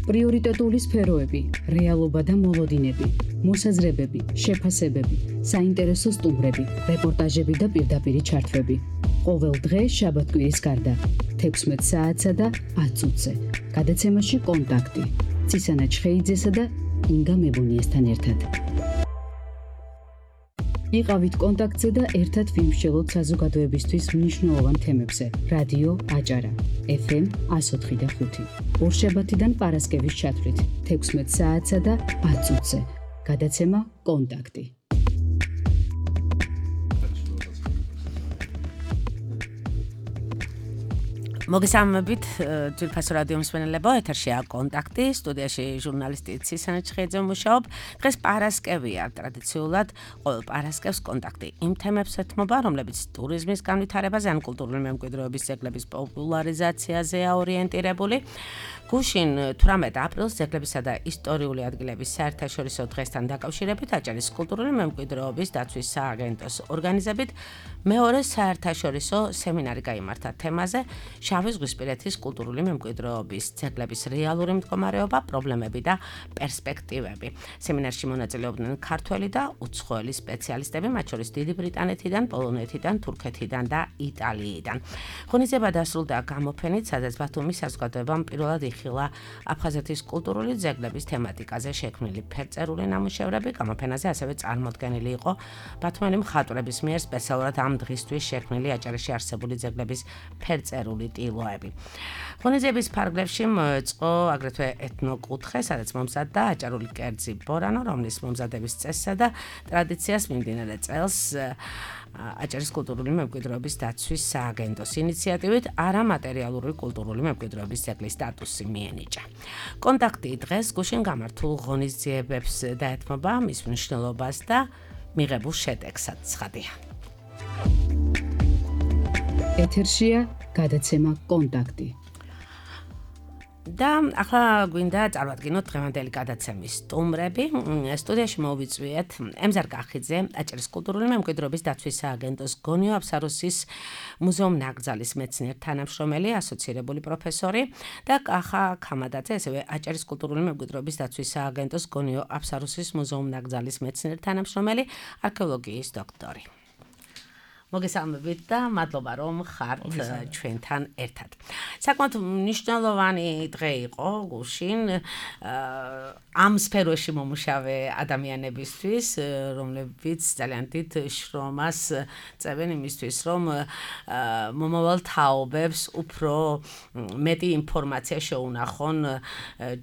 პრიორიტეტული სფეროები, რეალობა და მოლოდინები, მოსაზრებები, შეფასებები, საინტერესო სტუმრები, რეპორტაჟები და პირდაპირი ჩართვები. ყოველ დღე შაბათ-კვირის გარდა 16 საათსა და 10 წუთზე. გადაცემაში კონტაქტი. ცისანა ჩხეიძესა და ინგა მებონიესთან ერთად. იყავით კონტაქტზე და ერთად ვიმსჯელოთ საზოგადოებისთვის მნიშვნელოვან თემებზე. რადიო აჭარა, FM 104.5. ორშაბათიდან პარასკევის ჩათვლით 16 საათსა და 10 წუთზე. გადაცემა კონტაქტი. მოგესალმებით, ძვირფასო რადიო მსმენელებო, ეთერშია კონტაქტი, სტუდიაში ჟურნალისტი ცისანა ჩხეიძე მუშაობ. დღეს პარასკევია, ტრადიციულად ყოველ პარასკევს კონტაქტი იმ თემებს ეთმობა, რომლებიც ტურიზმის განვითარებაზე ან კულტურული მემკვიდრეობის ძეგლების პოპულარიზაციაზეა ორიენტირებული. გუშინ 18 აპრილს ძეგლებისა და ისტორიული ადგილების საერთაშორისო დღესთან დაკავშირებით აჭარის კულტურული მემკვიდრეობის დაცვის სააგენტოს ორგანიზებით მეორე საერთაშორისო სემინარი გაიმართა თემაზე შავი ზღვისპირეთის კულტურული მემკვიდრეობის ძეგლების რეალური მდგომარეობა, პრობლემები და პერსპექტივები. სემინარში მონაწილეობდნენ ქართველი და უცხოელი სპეციალისტები, მათ შორის დიდი ბრიტანეთიდან, პოლონეთიდან, თურქეთიდან და იტალიიდან. ღონისძიება დასრულდა გამოფენით, სადაც ბათუმის საზოგადოებამ პირველად იხილა აფხაზეთის კულტურული ძეგლების თემატიკაზე შექმნილი ფერწერული ნამუშევრები. გამოფენაზე ასევე წარმოდგენილი იყო ბათუმელი მხატვრების მიერ სპეციალურად ამ დღისთვის შექმნილი აჭარაში არსებული ძეგლების ფერწერული ტილოები. ღონისძიების ფარგლებში მოეწყო აგრეთვე ეთნოკუთხე, სადაც მომზადდა აჭარული კერძი ბორანო, რომლის მომზადების წესსა და ტრადიციას მიმდინარე წელს აჭარის კულტურული მემკვიდრეობის დაცვის სააგენტოს ინიციატივით არამატერიალური კულტურული მემკვიდრეობის ძეგლის სტატუსი მიენიჭა. კონტაქტი დღეს გუშინ გამართულ ღონისძიებებს დაეთმობა მის მნიშვნელობას და მიღებულ შედეგსაც ცხადია. ეთერშია გადაცემა კონტაქტი. და ახლა გვინდა წარვადგინოთ დღევანდელი გადაცემის სტუმრები. სტუდიაში მოვიწვიეთ ემზარ კახიძე, აჭარის კულტურული მემკვიდრეობის დაცვის სააგენტოს გონიო აფსაროსის მუზეუმ ნაკრძალის მეცნიერ თანამშრომელი, ასოცირებული პროფესორი და კახა ქამადაძე, ასევე აჭარის კულტურული მემკვიდრეობის დაცვის სააგენტოს გონიო აფსაროსის მუზეუმ ნაკრძალის მეცნიერ თანამშრომელი, არქეოლოგიის დოქტორი. მოგესალმებით და მადლობა რომ ხართ ჩვენთან ერთად. საკმაოდ მნიშვნელოვანი დღე იყო გუშინ ამ სფეროში მომუშავე ადამიანებისთვის, რომლებიც ძალიან დიდ შრომას წევენ იმისთვის, რომ მომავალ თაობებს უფრო მეტი ინფორმაცია შეუნახონ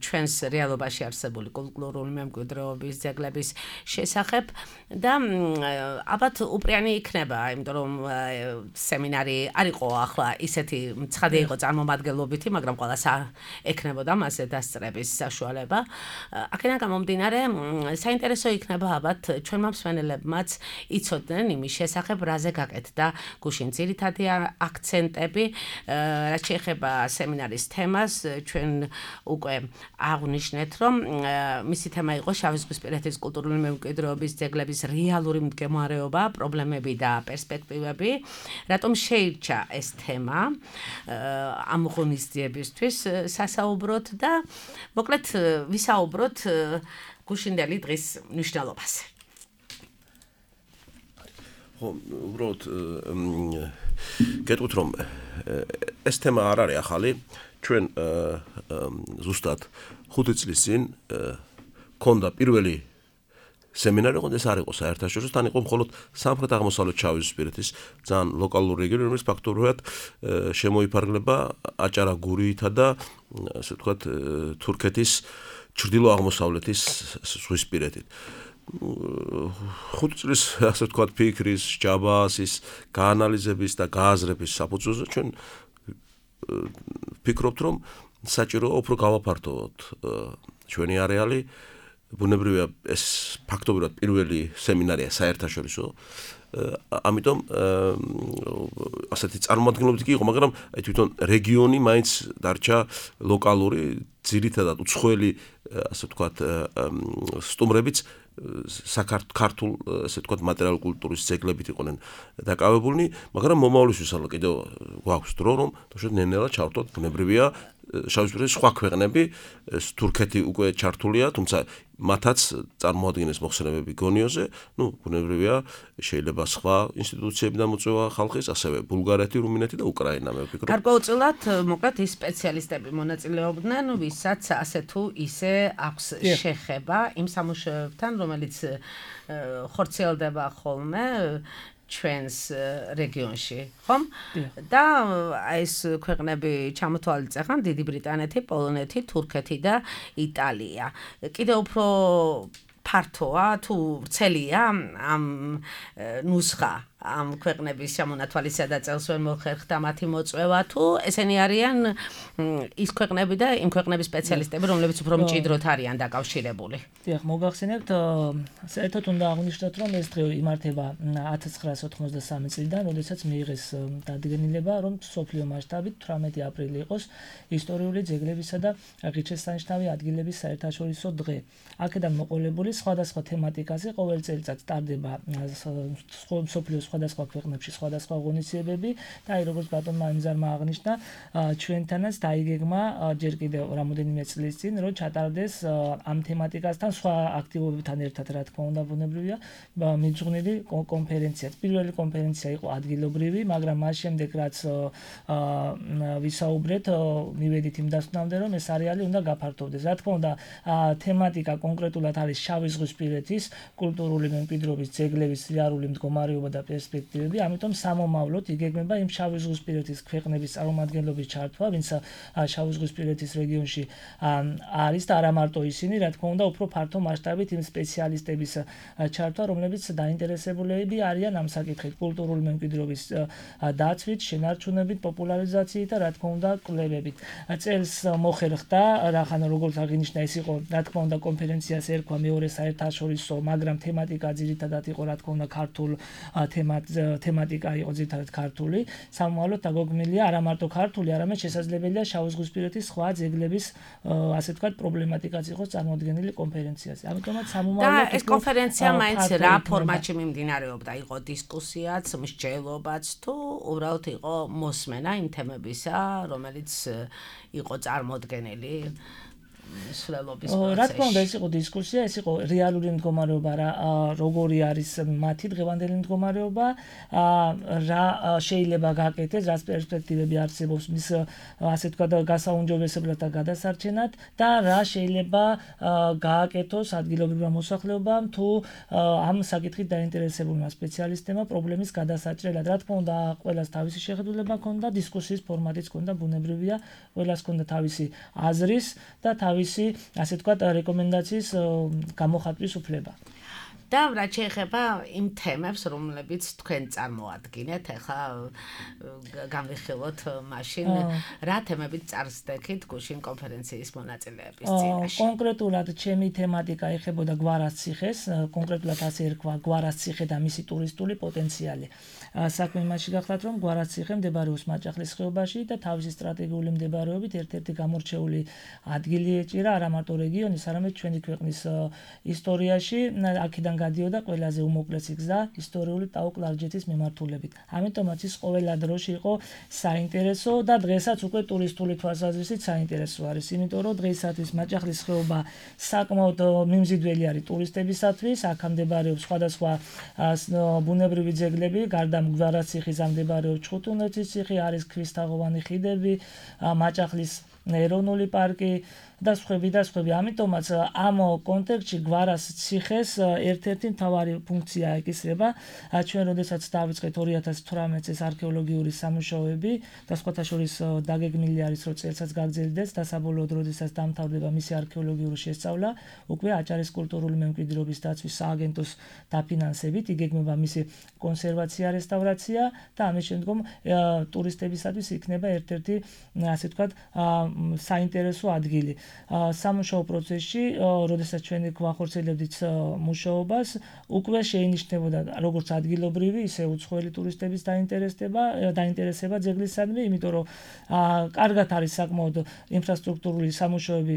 ჩვენს რეალობაში არსებული კულტურული მემკვიდრეობის ძეგლების შესახებ და ალბათ უპრიანი იქნება, იმიტომ რომ სემინარი არ იყო ახლა ისეთი ცხადი იყო წარმომადგენლობითი, მაგრამ ყველას ექნებოდა მასზე დასწრების საშუალება. აქედან გამომდინარე, საინტერესო იქნება ალბათ ჩვენმა მსმენელებმაც იცოდნენ იმის შესახებ, რაზე გაკეთდა გუშინ ძირითადი აქცენტები, რაც შეეხება სემინარის თემას. ჩვენ უკვე აღვნიშნეთ, რომ მისი თემა იყო შავი ზღვისპირეთის კულტურული მემკვიდრეობის ძეგლების რეალური მდგომარეობა, პრობლემები და პერსპექტივები. რატომ შეირჩა ეს თემა ამ ღონისძიებისთვის სასაუბროთ და მოკლედ ვისაუბროთ გუშინდელი დღის მნიშვნელობაზე. ხო, უბრალოდ გეტყვით რომ ეს თემა არ არის ახალი. ჩვენ ზუსტად 5 წლის წინ ქონდა პირველი სემინარი, ეს არ იყო საერთაშორისო, თან იყო მხოლოდ სამხრეთ-აღმოსავლეთ შავი ზღვისპირეთის ძალიან ლოკალური რეგიონი, რომელიც ფაქტობრივად შემოიფარგლება აჭარა-გურითა და ასე ვთქვათ თურქეთის ჩრდილო-აღმოსავლეთის ზღვისპირეთით. 5 წლის ასე ვთქვათ ფიქრის, ჯაბასის, გაანალიზების და გააზრების საფუძველზე ჩვენ ვფიქრობთ, რომ საჭიროა უფრო გავაფართოვოთ ჩვენი არეალი. ბუნებრივია ეს ფაქტობრივად პირველი სემინარია საერთაშორისო, ამიტომ ასეთი წარმომადგენლობით კი იყო, მაგრამ თვითონ რეგიონი მაინც დარჩა ლოკალური, ძირითადად უცხოელი, ასე ვთქვათ, სტუმრებიც საქართველ, ასე ვთქვათ, მატერიალურ კულტურის ძეგლებით იყვნენ დაკავებულნი, მაგრამ მომავლისთვის კიდევ გვაქვს დრო, რომ ნელ-ნელა ჩავთვალოთ, ბუნებრივია შავიზღვისპირეთის სხვა ქვეყნები, თურქეთი უკვე ჩართულია, თუმცა მათაც წარმოადგენს მოხსენებები გონიოზე, ბუნებრივია, შეიძლება სხვა ინსტიტუციები დამოწევა ხალხის, ასევე ბულგარეთი, რუმინეთი და უკრაინა, მე ვფიქრობ. გარკვეულწილად, მოკლედ ის სპეციალისტები მონაწილეობდნენ, ვისაც ასე თუ ისე აქვს შეხება იმ სამუშაოებთან, რომელიც ხორციელდება ხოლმე ჩვენს რეგიონში, ხომ? და ეს ქვეყნები ჩამოთვალიწეხან დიდი ბრიტანეთი, პოლონეთი, თურქეთი და იტალია. კიდევ უფრო ფართოა თუ ვრცელია ამ ნუსხა ამ ქვეყნების შემონათვალისა და წელს ვერ მოხერხდა მათი მოწვევა თუ ესენი არიან ის ქვეყნები და იმ ქვეყნების სპეციალისტები, რომლებიც უფრო მჭიდროდ არიან დაკავშირებული. დიახ, მოგახსენებთ, საერთოდ უნდა აღვნიშნოთ, რომ ეს დღე იმართება 1993 წლიდან, როდესაც მიიღეს დადგენილება, რომ მსოფლიო მასშტაბით 18 აპრილი იყოს ისტორიული ძეგლებისა და ღირსშესანიშნავი ადგილების საერთაშორისო დღე. აქედან მოყოლებული სხვადასხვა თემატიკაზე ყოველ წელიწად ტარდება მსოფლიოს სხვადასხვა ქვეყნებში სხვადასხვა ღონისძიებები და აი როგორც ბატონმა იმზარმა აღნიშნა, ჩვენთანაც დაიგეგმა ჯერ კიდევ რამოდენიმე წლის წინ, რომ ჩატარდეს ამ თემატიკასთან სხვა აქტივობებთან ერთად, რა თქმა უნდა, ბუნებრივია, მიძღვნილი კონფერენცია. პირველი კონფერენცია იყო ადგილობრივი, მაგრამ მას შემდეგ რაც ვისაუბრეთ, მივედით იმ დასკვნამდე, რომ ეს არეალი უნდა გაფართოვდეს. რა თქმა უნდა, თემატიკა კონკრეტულად არის შავიზღვისპირეთის კულტურული მემკვიდრეობის ძეგლების რეალური მდგომარეობა და პერსპექტივები, ამიტომ სამომავლოდ იგეგმება იმ შავიზღვისპირეთის ქვეყნების წარმომადგენლობის ჩართვა, ვინც შავიზღვისპირეთის რეგიონში არის და არა მარტო ისინი, რა თქმა უნდა, უფრო ფართო მასშტაბით იმ სპეციალისტების ჩართვა, რომლებიც დაინტერესებულები არიან ამ საკითხით, კულტურული მემკვიდრეობის დაცვით, შენარჩუნებით, პოპულარიზაციით და რა თქმა უნდა, კვლევებით. წელს მოხერხდა, როგორც აღინიშნა, ეს იყო, რა თქმა უნდა, კონფერენციას ერქვა მეორე საერთაშორისო, მაგრამ თემატიკა ძირითადად იყო, რა თქმა უნდა, ქართულ თემატიკა იყო ძირითადად ქართული. სამომავლოდ დაგეგმილია არა მარტო ქართული, არამედ შესაძლებელია შავიზღვისპირეთის სხვა ძეგლების, ასე ვთქვათ, პრობლემატიკაც იყოს წარმოდგენილი კონფერენციაზე. ამიტომაც სამომავლოდ და ეს კონფერენცია მაინც რა ფორმატში მიმდინარეობდა? იყო დისკუსიაც, მსჯელობაც თუ უბრალოდ იყო მოსმენა იმ თემებისა, რომელიც იყო წარმოდგენილი? რა თქმა უნდა, ეს იყო დისკუსია, ეს იყო რეალური მდგომარეობა, როგორი არის მათი დღევანდელი მდგომარეობა, რა შეიძლება გაკეთდეს, რა პერსპექტივები არსებობს მის, ასე ვთქვათ, გასაუმჯობესებლად და გადასარჩენად და რა შეიძლება გააკეთოს ადგილობრივმა მოსახლეობამ თუ ამ საკითხით დაინტერესებულმა სპეციალისტებმა პრობლემის გადასაჭრელად. რა თქმა უნდა, ყველას თავისი შეხედულება ჰქონდა, დისკუსიის ფორმატიც ჰქონდა, ბუნებრივია, ყველას ჰქონდა თავისი აზრის და თავისი, ასე ვთქვათ, რეკომენდაციის გამოხატვის უფლება. და რა შეეხება იმ თემებს, რომლებიც თქვენ წარმოადგენთ, ახლა განვიხილოთ მაშინ რა თემებით წარსდექით გუშინ კონფერენციის მონაწილეების წინაშე. კონკრეტულად ჩემი თემატიკა ეხებოდა გვარას ციხეს, კონკრეტულად ასე ერქვა გვარას ციხე და მისი ტურისტული პოტენციალი. საქმე იმაში გახლავთ, რომ გვარას ციხე მდებარეობს მაჭახლის ხეობაში და თავისი სტრატეგიული მდებარეობით ერთ-ერთი გამორჩეული ადგილი ეჭირა არა მარტო რეგიონის, არამედ ჩვენი ქვეყნის ისტორიაში. აქედან გადიოდა ყველაზე უმოკლესი გზა ისტორიული ტაო-კლარჯეთის მიმართულებით. ამიტომაც ის ყოველ დროში იყო საინტერესო და დღესაც უკვე ტურისტული თვალსაზრისით საინტერესო არის, იმიტომ რომ დღეისათვის მაჭახლის ხეობა საკმაოდ მიმზიდველი არის ტურისტებისათვის, აქ მდებარეობს სხვადასხვა ბუნებრივი ძეგლები, გარდა გვარას ციხის მდებარეობს ჩხუტუნეთის ციხე, არის ქვისთაღოვანი ხიდები, მაჭახლის ეროვნული პარკი და სხვები და სხვები. ამიტომაც ამ კონტექსტში გვარას ციხეს ერთ-ერთი მთავარი ფუნქცია ეკისრება. ჩვენ როდესაც დავიწყეთ 2018 წელს არქეოლოგიური სამუშაოები და სხვათა შორის დაგეგმილი არის, რომ წელსაც გაგრძელდეს და საბოლოოდ როდესაც დამთავრდება მისი არქეოლოგიური შესწავლა, უკვე აჭარის კულტურული მემკვიდრეობის დაცვის სააგენტოს დაფინანსებით იგეგმება მისი კონსერვაცია, რესტავრაცია და ამის შემდგომ ტურისტებისათვის იქნება ერთ-ერთი, ასე ვთქვათ, საინტერესო ადგილი. სამუშაო პროცესში, როდესაც ჩვენ გვახორციელებდით მუშაობას, უკვე შეინიშნებოდა როგორც ადგილობრივი, ისე უცხოელი ტურისტების დაინტერესება ძეგლისადმი, იმიტომ რომ კარგად არის საკმაოდ ინფრასტრუქტურული სამუშაოები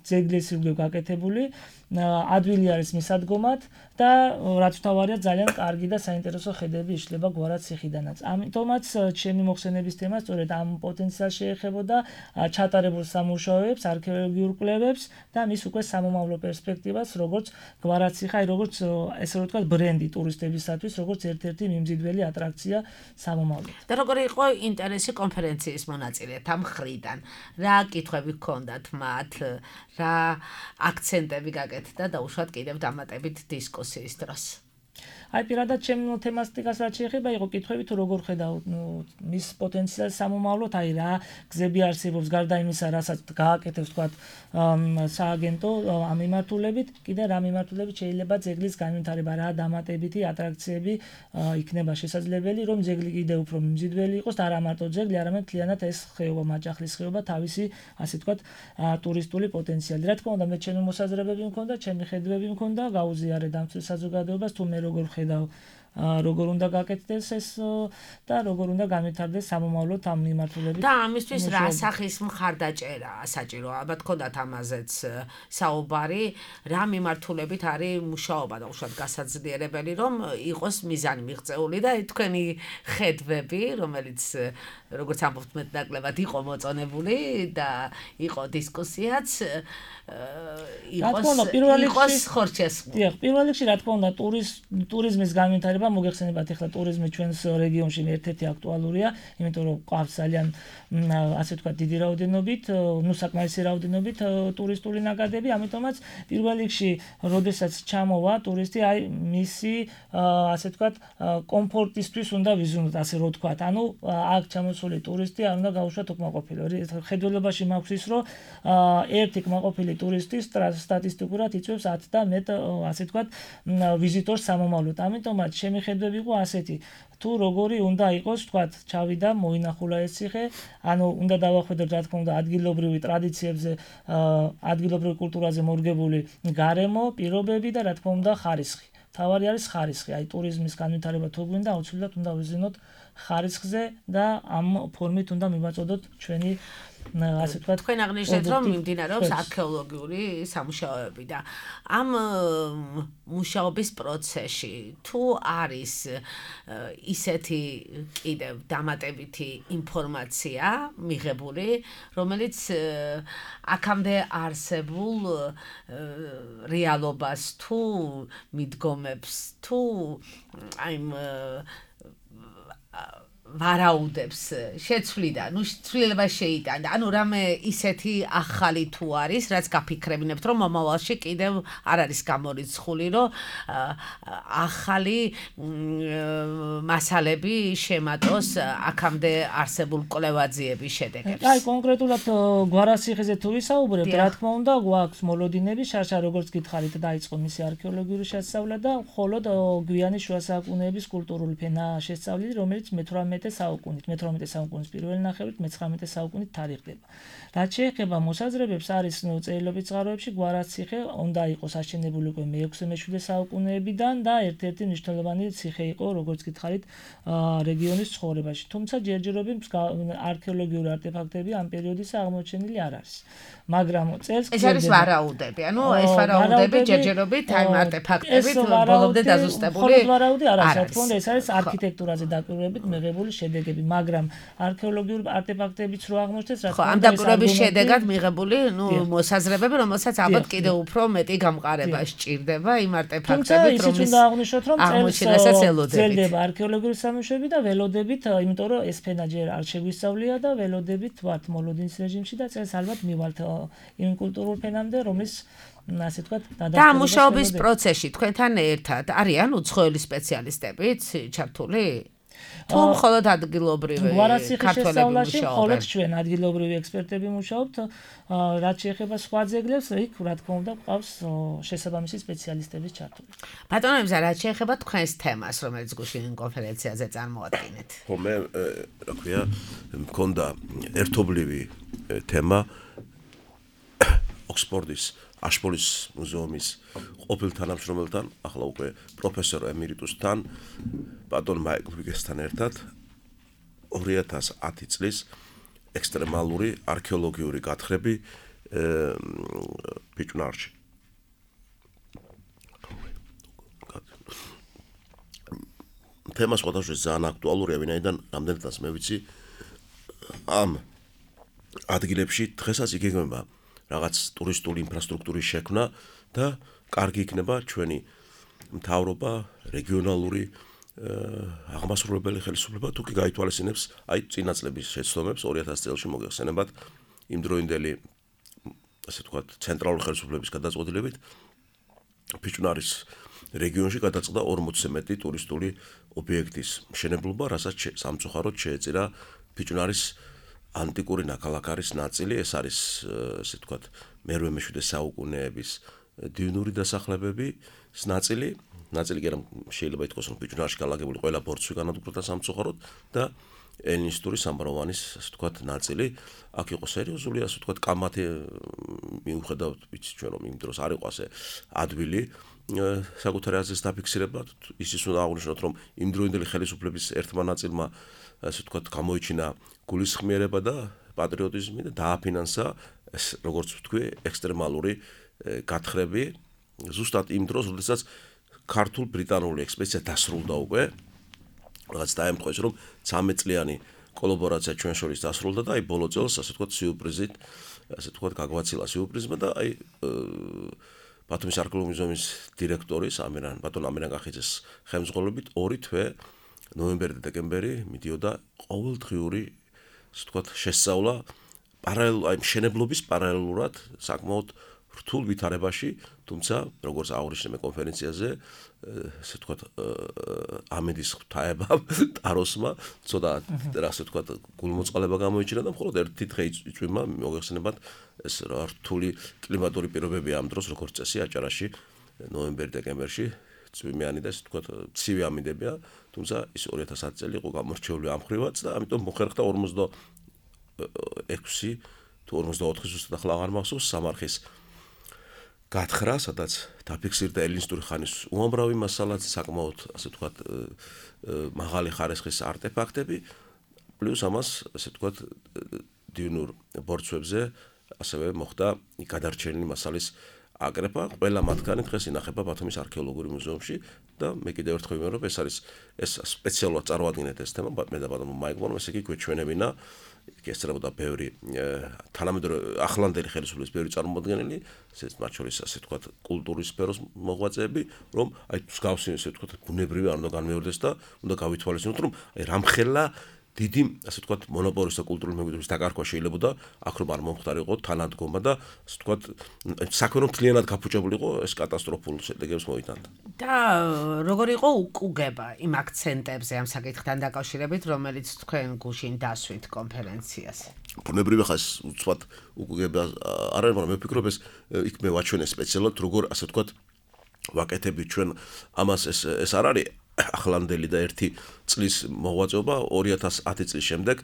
ძეგლის ირგვლივ გაკეთებული, ადვილი არის მისადგომად და რაც თავარია ძალიან კარგი და საინტერესო ხედები იშლება გვარას ციხიდანაც. ამიტომაც ჩემი მოხსენების თემა სწორედ ამ პოტენციალს შეეხებოდა ჩატარებულ სამუშაოებს, არქეოლოგიურ კვლევებს და მის უკვე სამომავლო პერსპექტივას, როგორც გვარაციხე, როგორც ესე რომ ვთქვათ, ბრენდი ტურისტებისათვის, როგორც ერთ-ერთი მიმზიდველი ატრაქცია სამომავლოდ. და როგორი იყო ინტერესი კონფერენციის მონაწილეთა მხრიდან? რა კითხვები ჰქონდათ მათ? რა აქცენტები გაკეთდა და უშუალოდ კიდევ დამატებით დისკუსიის დროს? აი პირადად ჩემ თემატიკას რაც შეეხება, იყო კითხვები თუ როგორ ხედავთ მის პოტენციალს სამომავლოდ, აი რა გზები არსებობს გარდა იმისა, რასაც გააკეთებს თქვათ სააგენტო ამ მიმართულებით, კიდე რა მიმართულებით შეიძლება ძეგლის განვითარება, რა დამატებითი ატრაქციები იქნება შესაძლებელი, რომ ძეგლი კიდე უფრო მიმზიდველი იყოს და არა მარტო ძეგლი, არამედ მთლიანად ეს ხეობა, მაჭახლის ხეობა თავისი ასე თქვათ ტურისტული პოტენციალი. რა თქმა უნდა, მე ჩემი მოსაზრებები მქონდა, ჩემი ხედვები მქონდა, გაუზიარე დამცველ საზოგადოებას თუ მე როგორ ხედავ როგორ უნდა გაკეთდეს ეს და როგორ უნდა განვითარდეს სამომავლოდ ამ მიმართულებით. და ამისთვის რა სახის მხარდაჭერა საჭირო? ალბათ გქონდათ ამაზეც საუბარი, რა მიმართულებით არის მუშაობა და უშუალოდ გასაძლიერებელი, რომ იყოს მიზანი მიღწეული და თქვენი ხედვები, რომელიც როგორც ამბობთ მეტნაკლებად იყო მოწონებული და იყო დისკუსიაც, იყოს ხორჩესმული. დიახ, პირველ რიგში რა თქმა უნდა ტურიზმის განვითარება მოგეხსენებათ ახლა ტურიზმი ჩვენს რეგიონში ერთ-ერთი აქტუალურია, იმიტომ რომ ყავს ძალიან ასე ვთქვათ დიდი რაოდენობით, საკმარისი რაოდენობით ტურისტული ნაკადები, ამიტომაც პირველ რიგში, როდესაც ჩამოვა ტურისტი, აი მისი ასე ვთქვათ კომფორტისთვის უნდა ვიზუნოთ, ასე რომ ვთქვათ. ანუ აქ ჩამოსული ტურისტი არ უნდა გაუშვათ უკმაყოფილო. ხედველობაში მაქვს ის, რომ ერთი კმაყოფილი ტურისტი სტატისტიკურად იწვევს 10 და მეტ ასე ვთქვათ ვიზიტორს სამომავლოდ. ამიტომაც ჩემი ხედვები იყო ასეთი, თუ როგორი უნდა იყოს, ვთქვათ, ჩავიდა, მოინახულა ეს ციხე, ანუ უნდა დავახვედროთ, რა თქმა უნდა, ადგილობრივი ტრადიციებზე, ადგილობრივ კულტურაზე მორგებული გარემო, პირობები და რა თქმა უნდა, ხარისხი. თავარი არის ხარისხი, აი ტურიზმის განვითარება თუ გვინდა, აუცილებლად უნდა ვიზინოთ ხარისხზე და ამ ფორმით უნდა მივაწოდოთ ჩვენი ასე ვთქვათ, თქვენ აღნიშნეთ, რომ მიმდინარეობს არქეოლოგიური სამუშაოები და ამ მუშაობის პროცესში თუ არის ისეთი კიდევ დამატებითი ინფორმაცია მიღებული, რომელიც აქამდე არსებულ რეალობას თუ მიდგომებს თუ აი ვარაუდებს შეცვლიდა, ნუ ცვლილება შეიტანდა. ანუ რამე ისეთი ახალი თუ არის, რაც გაფიქრებინებთ, რომ მომავალში კიდევ არ არის გამორიცხული, რომ ახალი მასალები შემატოს აქამდე არსებულ კვლევაძიების შედეგებს. აი კონკრეტულად გვარაციხეზე თუ ვისაუბრებთ, რა თქმა უნდა, გვაქვს მოლოდინები, შარშა როგორც გითხარით, დაიწყო მისი არქეოლოგიური შესწავლა და მხოლოდ გვიანი შუა საუკუნეების კულტურული ფენა შესწავლილი, რომელიც 18 საუკუნის პირველი ნახევრით 19 საუკუნით თარიღდება. რაც შეეხება მოსაზრებებს, არის წერილობით წყაროებში გვარაციხე უნდა იყოს აშენებული უკვე მე-6-მე-7 საუკუნეებიდან და ერთ-ერთი მნიშვნელოვანი ციხე იყო, როგორც გითხარით, რეგიონის ცხოვრებაში. თუმცა ჯერჯერობით არქეოლოგიური არტეფაქტები ამ პერიოდისა აღმოჩენილი არ არის. მაგრამ წელს ეს არის ვარაუდები, ანუ ეს ვარაუდები ჯერჯერობით ამ არტეფაქტებით ბოლომდე დაზუსტებული. მხოლოდ ვარაუდი არ არის, რა თქმა უნდა, ეს არის არქიტექტურაზე დაკვირვებით მიღებული შედეგები, მაგრამ არქეოლოგიური არტეფაქტებიც რო აღმოჩნდეს, რა თქმა უნდა, ეს შედეგად მიღებული, მოსაზრებები, რომელსაც ალბათ კიდევ უფრო მეტი გამყარება სჭირდება იმ არტეფაქტებით, რომელიც უნდა აღნიშნოთ, რომ აღმოჩენასაც ელოდებით. ძლდება არქეოლოგიური სამუშაოები და ველოდებით, იმიტომ რომ ეს ფენა ჯერ არ შეგვისწავლია და ველოდებით ვართ მოლოდინის რეჟიმში და წელს ალბათ მივალთ იმ კულტურულ ფენამდე, რომლის ასე ვთქვათ, და მუშაობის პროცესში თქვენთან ერთად არიან უცხოელი სპეციალისტებიც ჩართული? თუ მხოლოდ ადგილობრივი ქართველები მუშაობენ? მხოლოდ ჩვენ ადგილობრივი ექსპერტები მუშაობთ, რაც შეეხება სხვა ძეგლებს, იქ რა თქმა უნდა ყავს შესაბამისი სპეციალისტების ჩართული. ბატონო ემზა, რაც შეეხება თქვენს თემას, რომელიც გუშინ კონფერენციაზე წარმოადგენთ? ხო, მე რა ქვია, მქონდა ერთობლივი თემა ოქსფორდის აშპოლის მუზეუმის ყოფილ თანამშრომელთან, ახლა უკვე პროფესორ ემერიტუსთან, ბატონ მაიკლ ვიგესთან ერთად 2010 წლის ექსტრემალური არქეოლოგიური გათხრები ბიჭუნარში. თემა სხვადასხვა ძალიან აქტუალურია, ვინაიდან რამდენადაც მე ვიცი ამ ადგილებში დღესაც იგეგმება რაღაც ტურისტული ინფრასტრუქტურის შექმნა და კარგი იქნება ჩვენი მთავრობა, რეგიონალური აღმასრულებელი ხელისუფლება თუ კი გაითვალისწინებს აი წინა წლების შეცდომებს 2000 წელს მოგეხსენებათ იმდროინდელი ასე ვთქვათ ცენტრალური ხელისუფლების გადაწყვეტილებით ფიჭვნარის რეგიონში გადაწყდა 40-ზე მეტი ტურისტული ობიექტის მშენებლობა, რასაც სამწუხაროდ შეეწირა ფიჭვნარის ანტიკური ნაქალაქარის ნაწილი, ეს არის ასე ვთქვათ მე-17 საუკუნეების დიუნური დასახლებების ნაწილი კი არა შეიძლება ითქვას რომ ფიჭვნარში განლაგებული ყველა ბორცვი განადგურდა სამწუხაროდ და ელინისტური სამბროვანის ასე ვთქვათ ნაწილი აქ იყო სერიოზული ასე ვთქვათ კამათი მიუხედავად ვიცი ჩვენ რომ იმ დროს არ იყო ასე ადვილი საკუთარი აზრის დაფიქსირება ისიც უნდა აღვნიშნოთ რომ იმ დროინდელი ხელისუფლების ერთმა ნაწილმა ასე ვთქვათ გამოიჩინა გულისხმიერება და პატრიოტიზმი და დააფინანსა ეს როგორც ვთქვი ექსტრემალური გათხრები ზუსტად იმ დროს როდესაც ქართულ-ბრიტანული ექსპედიცია დასრულდა უკვე რაღაც დაემთხვეს რომ 13 წლიანი კოლაბორაცია ჩვენ შორის დასრულდა და აი ბოლო წელს ასე ვთქვათ სიურპრიზით ასე ვთქვათ გაგვაცილა სიურპრიზმა და აი ბათუმის არქეოლოგიური მუზეუმის დირექტორის ბატონ ამირან კახიძეს ხელმძღვანელობით 2 თვე ნოემბერი და დეკემბერი მიდიოდა ყოველდღიური ასე ვთქვათ შესწავლა აი მშენებლობის პარალელურად საკმაოდ რთულ ვითარებაში, თუმცა როგორც აღვნიშნე კონფერენციაზე, ასე ვთქვათ, ამედის ღვთაებამ, ტაროსმა, ცოტა ასე ვთქვათ, გულმოწყალება გამოიჩინა და მხოლოდ ერთი დღე იწვიმა, მოგეხსენებათ, ეს რთული კლიმატური პირობები ამ დროს, როგორც წესი, აჭარაში, ნოემბერ-დეკემბერში, წვიმიანი და ასე ვთქვათ, ცივი ამინდებია, თუმცა ის 2010 წელი იყო გამორჩეული ამ ხრივაც და ამიტომ მოხერხდა 46 თუ 44 ზუსტად ახლა აღარ მახსოვს სამარხის გათხრა, სადაც დაფიქსირდა ელინისტური ხანის უამრავი მასალა, საკმაოდ ასე ვთქვათ, მაღალი ხარისხის არტეფაქტები, პლუს ამას ასე ვთქვათ, დიუნურ ბორცვებზე ასევე მოხდა გადარჩენილი მასალის აკრეფა, ყველა მათგანი დღეს ინახება ბათუმის არქეოლოგიურ მუზეუმში და მე კიდევ ერთხელ ვიმეორებ, ეს სპეციალურად წარმოადგინეთ ეს თემა, მე და ბატონმა მაიკლმა, ესე იგი გვეჩვენებინა ესწრებოდა ბევრი თანამედროვე ახლანდელი ხელისუფლების ბევრი წარმოადგენელი, მათ შორის ასე ვთქვათ, კულტურის სფეროს მოღვაწეები, რომ აი მსგავსი ასე ვთქვათ, ბუნებრივი არ უნდა განმეორდეს და უნდა გავითვალისწინოთ, რომ აი რამხელა დიდი ასე ვთქვათ, მონოპოლისტთა კულტურული მემკვიდრეობის დაკარგვა შეიძლებოდა, აქ რომ არ მომხდარიყო თანადგომა და ასე ვთქვათ, საქმე რომ მთლიანად გაფუჭებულიყო, ეს კატასტროფულ შედეგებს მოიტანდა. და როგორ იყო უკუგება იმ აქცენტებზე ამ საკითხთან დაკავშირებით, რომელიც თქვენ გუშინ დასვით კონფერენციაზე? ბუნებრივი ხას უცბად უკუგება არ არის, მაგრამ მე ვფიქრობ ეს იქ მე ვაჩვენე სპეციალურად როგორ ასე ვთქვათ, ვაკეთებით ჩვენ ამას ეს არ არის ახლანდელი და 1 წლის მოღვაწეობა 2010 წლის შემდეგ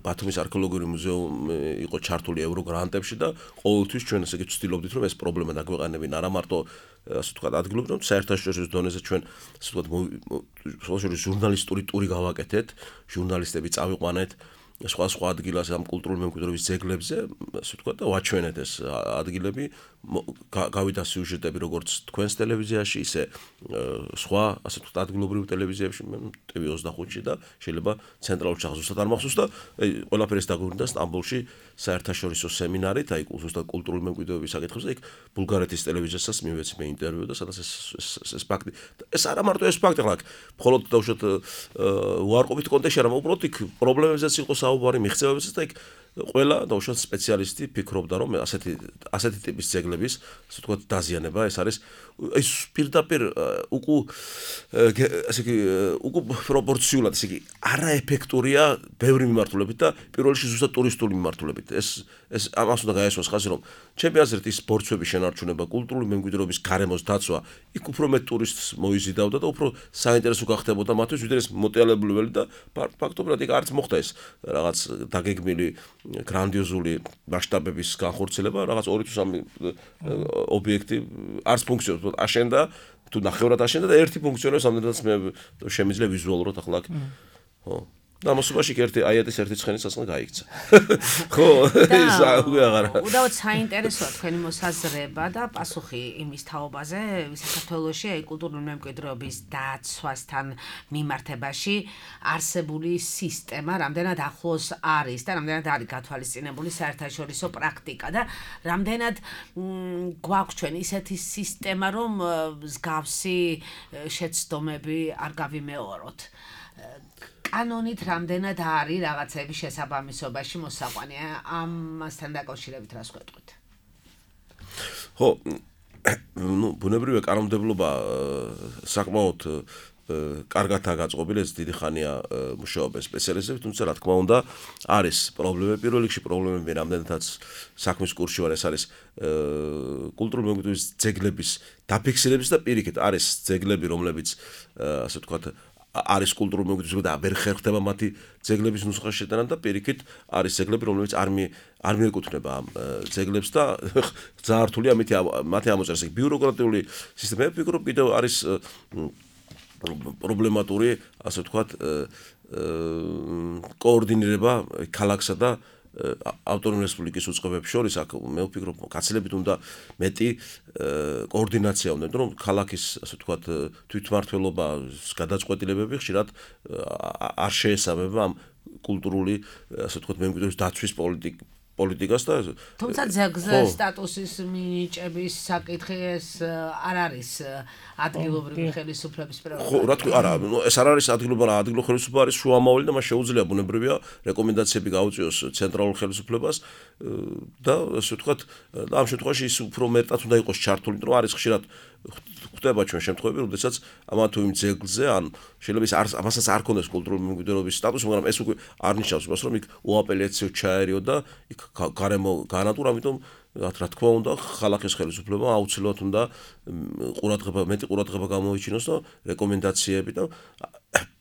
ბათუმის არქეოლოგიური მუზეუმი იყო ჩართული ევროგრანტებში და ყოველთვის ჩვენ ესე იგი ვცდილობდით რომ ეს პრობლემა დაგვეყენებინა არა მარტო ასე ვთქვათ ადგილობრივ, რომ საერთაშორისო დონეზე ჩვენ ასე ვთქვათ სოციალური ჟურნალისტური ტური გავაკეთეთ, ჟურნალისტები წავიყვანეთ სხვა ადგილას ამ კულტურული მემკვიდრეობის ძეგლებზე, ასე ვთქვათ და ვაჩვენეთ ეს ადგილები, გავიდა სიუჟეტები როგორც თქვენს ტელევიზიაში, ისე სხვა ასე ვთქვათ ადგილობრივ ტელევიზიებში, TV25-ში და შეიძლება ცენტრალურ ჩახზუსტად არ მახსოვს და ყველაფერი ეს დაგვირდა სტამბოლში საერთაშორისო სემინარით, აი ზუსტად კულტურული მემკვიდრეობის საკითხებზე, იქ ბულგარეთის ტელევიზიასაც მივეცი მე ინტერვიუ და სადაც ეს ფაქტი. ეს არა მარტო ეს ფაქტი, ხლა მხოლოდ დავუშვათ უარყოფით კონტექსტში, არამედ უბრალოდ იქ პრობლემებზეც იყო საუბარი, მიღწევებზეც და იქ ყველა დავუშვათ სპეციალისტი ფიქრობდა, რომ ასეთი ტიპის ძეგლების, ასე ვთქვათ, დაზიანება ეს არის ეს პირდაპირ ასე იგი პროპორციულად, ასე იგი არაეფექტურია ბევრი მიმართულებით და პირველ რიგში ზუსტად ტურისტული მიმართულებით. ეს ამას უნდა გაესვას ხაზი, რომ ჩემი აზრით ის ბორცვების შენარჩუნება, კულტურული მემკვიდრეობის გარემოს დაცვა, იქ უფრო მეტ ტურისტს მოიზიდავდა და უფრო საინტერესო გახდებოდა მათთვის, ვიდრე ეს მოტელებლებელი და ფაქტობრივად იქ არც მოხდა ეს რაღაც დაგეგმილი გრანდიოზული მასშტაბების განხორციელება, რაღაც 2-3 ობიექტი არც ფუნქციონირებს, აშენდა, თუ ნახევრად აშენდა და ერთი ფუნქციონირებს, ამდენადაც მე შემიძლია ვიზუალურად ახლა ხო. და მოსობაში ერთი აიატის ერთი ცხენის სასხლი გაიქცა. ხო, ის აღარა. უდავოდ საინტერესოა თქვენი მოსაზრება და პასუხი იმის თაობაზე, საქართველოში აი კულტურული მემკვიდრეობის დაცვასთან მიმართებაში არსებული სისტემა რამდენად ახლოს არის და რამდენად არის გათვალისწინებული საერთაშორისო პრაქტიკა და რამდენად გვაქვს ჩვენ ისეთი სისტემა, რომ მსგავსი შეცდომები არ გავიმეოროთ. კანონით რამდენად არის რაღაცების შესაბამისობაში მოსაყვანი ამასთან დაკავშირებით რას გვეტყვით? ხო, ბუნებრივია კანონმდებლობა საკმაოდ კარგადაა გაწყობილი, ეს დიდი ხანია მუშაობა სპეციალისტები, თუმცა რა თქმა უნდა არის პრობლემები, პირველ რიგში პრობლემები რამდენადაც საქმის კურსში ვარ, ეს არის კულტურული მემკვიდრეობის ძეგლების დაფიქსირების და პირიქით არის ძეგლები, რომლებიც ასე ვთქვათ არის კულტურული მემკვიდრეობა და ვერ ხერხდება მათი ძეგლების ნუსხაში შეტანა და პირიქით არის ძეგლები, რომლებიც არ მიეკუთვნება ამ ძეგლებს და ძალიან რთულია მათი ამოწერა. ბიუროკრატიული სისტემა ვფიქრობ კიდევ არის პრობლემატური, ასე ვთქვათ, კოორდინირება ქალაქსა და ავტონომიური რესპუბლიკის უწყებებს შორის, აქ მე ვფიქრობ, გაცილებით უნდა მეტი კოორდინაცია უნდა, რომ ქალაქის, ასე ვთქვათ, თვითმმართველობის გადაწყვეტილებები ხშირად არ შეესაბამება ამ კულტურული, ასე ვთქვათ, მემკვიდრეობის დაცვის პოლიტიკას და თუმცა ძეგლზე სტატუსის მინიჭების საკითხი ეს არ არის ადგილობრივი ხელისუფლების პრეროგატივა. ხო, რა თქმა უნდა, არა, ეს არ არის ადგილობრივი ხელისუფლება, არის შუამავალი და მას შეუძლია ბუნებრივია რეკომენდაციები გაუწიოს ცენტრალურ ხელისუფლებას და ასე ვთქვათ, ამ შემთხვევაში ის უფრო მეტად უნდა იყოს ჩართული, რომ არის ხშირად ხდება ჩვენ შემთხვევები, როდესაც ამა თუ იმ ძეგლზე ან შეიძლება ამასაც არ ქონდეს კულტურული მემკვიდრეობის სტატუსი, მაგრამ ეს უკვე არ ნიშნავს იმას, რომ იქ უაპელიაციო ჩაერიო და იქ გარემო განატურა, ამიტომ რა თქმა უნდა, ხალხის ხელისუფლება აუცილებლად უნდა მეტი ყურადღება გამოიჩინოს და რეკომენდაციები და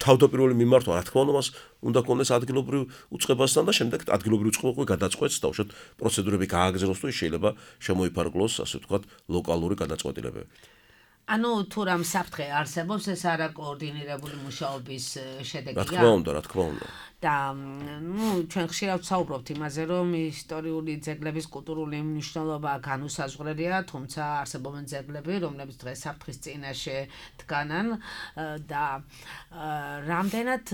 თავდაპირველი მიმართვა, რა თქმა უნდა, მას უნდა ქონდეს ადგილობრივ უწყებასთან და შემდეგ ადგილობრივ უწყება გადაწყვეტს და უშუალოდ პროცედურები გააგრძელოს თუ შეიძლება შემოიფარგლოს, ასე ვთქვათ, ლოკალური გადაწყვეტილებები. ანუ თუ რამ საფრთხე არსებობს, ეს არა კოორდინირებული მუშაობის შედეგია. რა თქმა უნდა, რა თქმა უნდა. და ჩვენ ხშირად ვსაუბრობთ იმაზე, რომ ისტორიული ძეგლების კულტურული მნიშვნელობა განუსაზღვრელია, თუმცა არსებობენ ძეგლები, რომლებიც დღეს საფრთხის წინაშე დგანან და რამდენად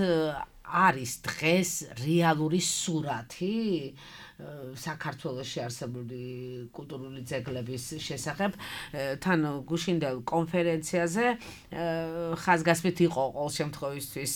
არის დღეს რეალური სურათი საქართველოში არსებული კულტურული ძეგლების შესახებ. თან გუშინდელ კონფერენციაზე ხაზგასმით იყო ყოველ შემთხვევისთვის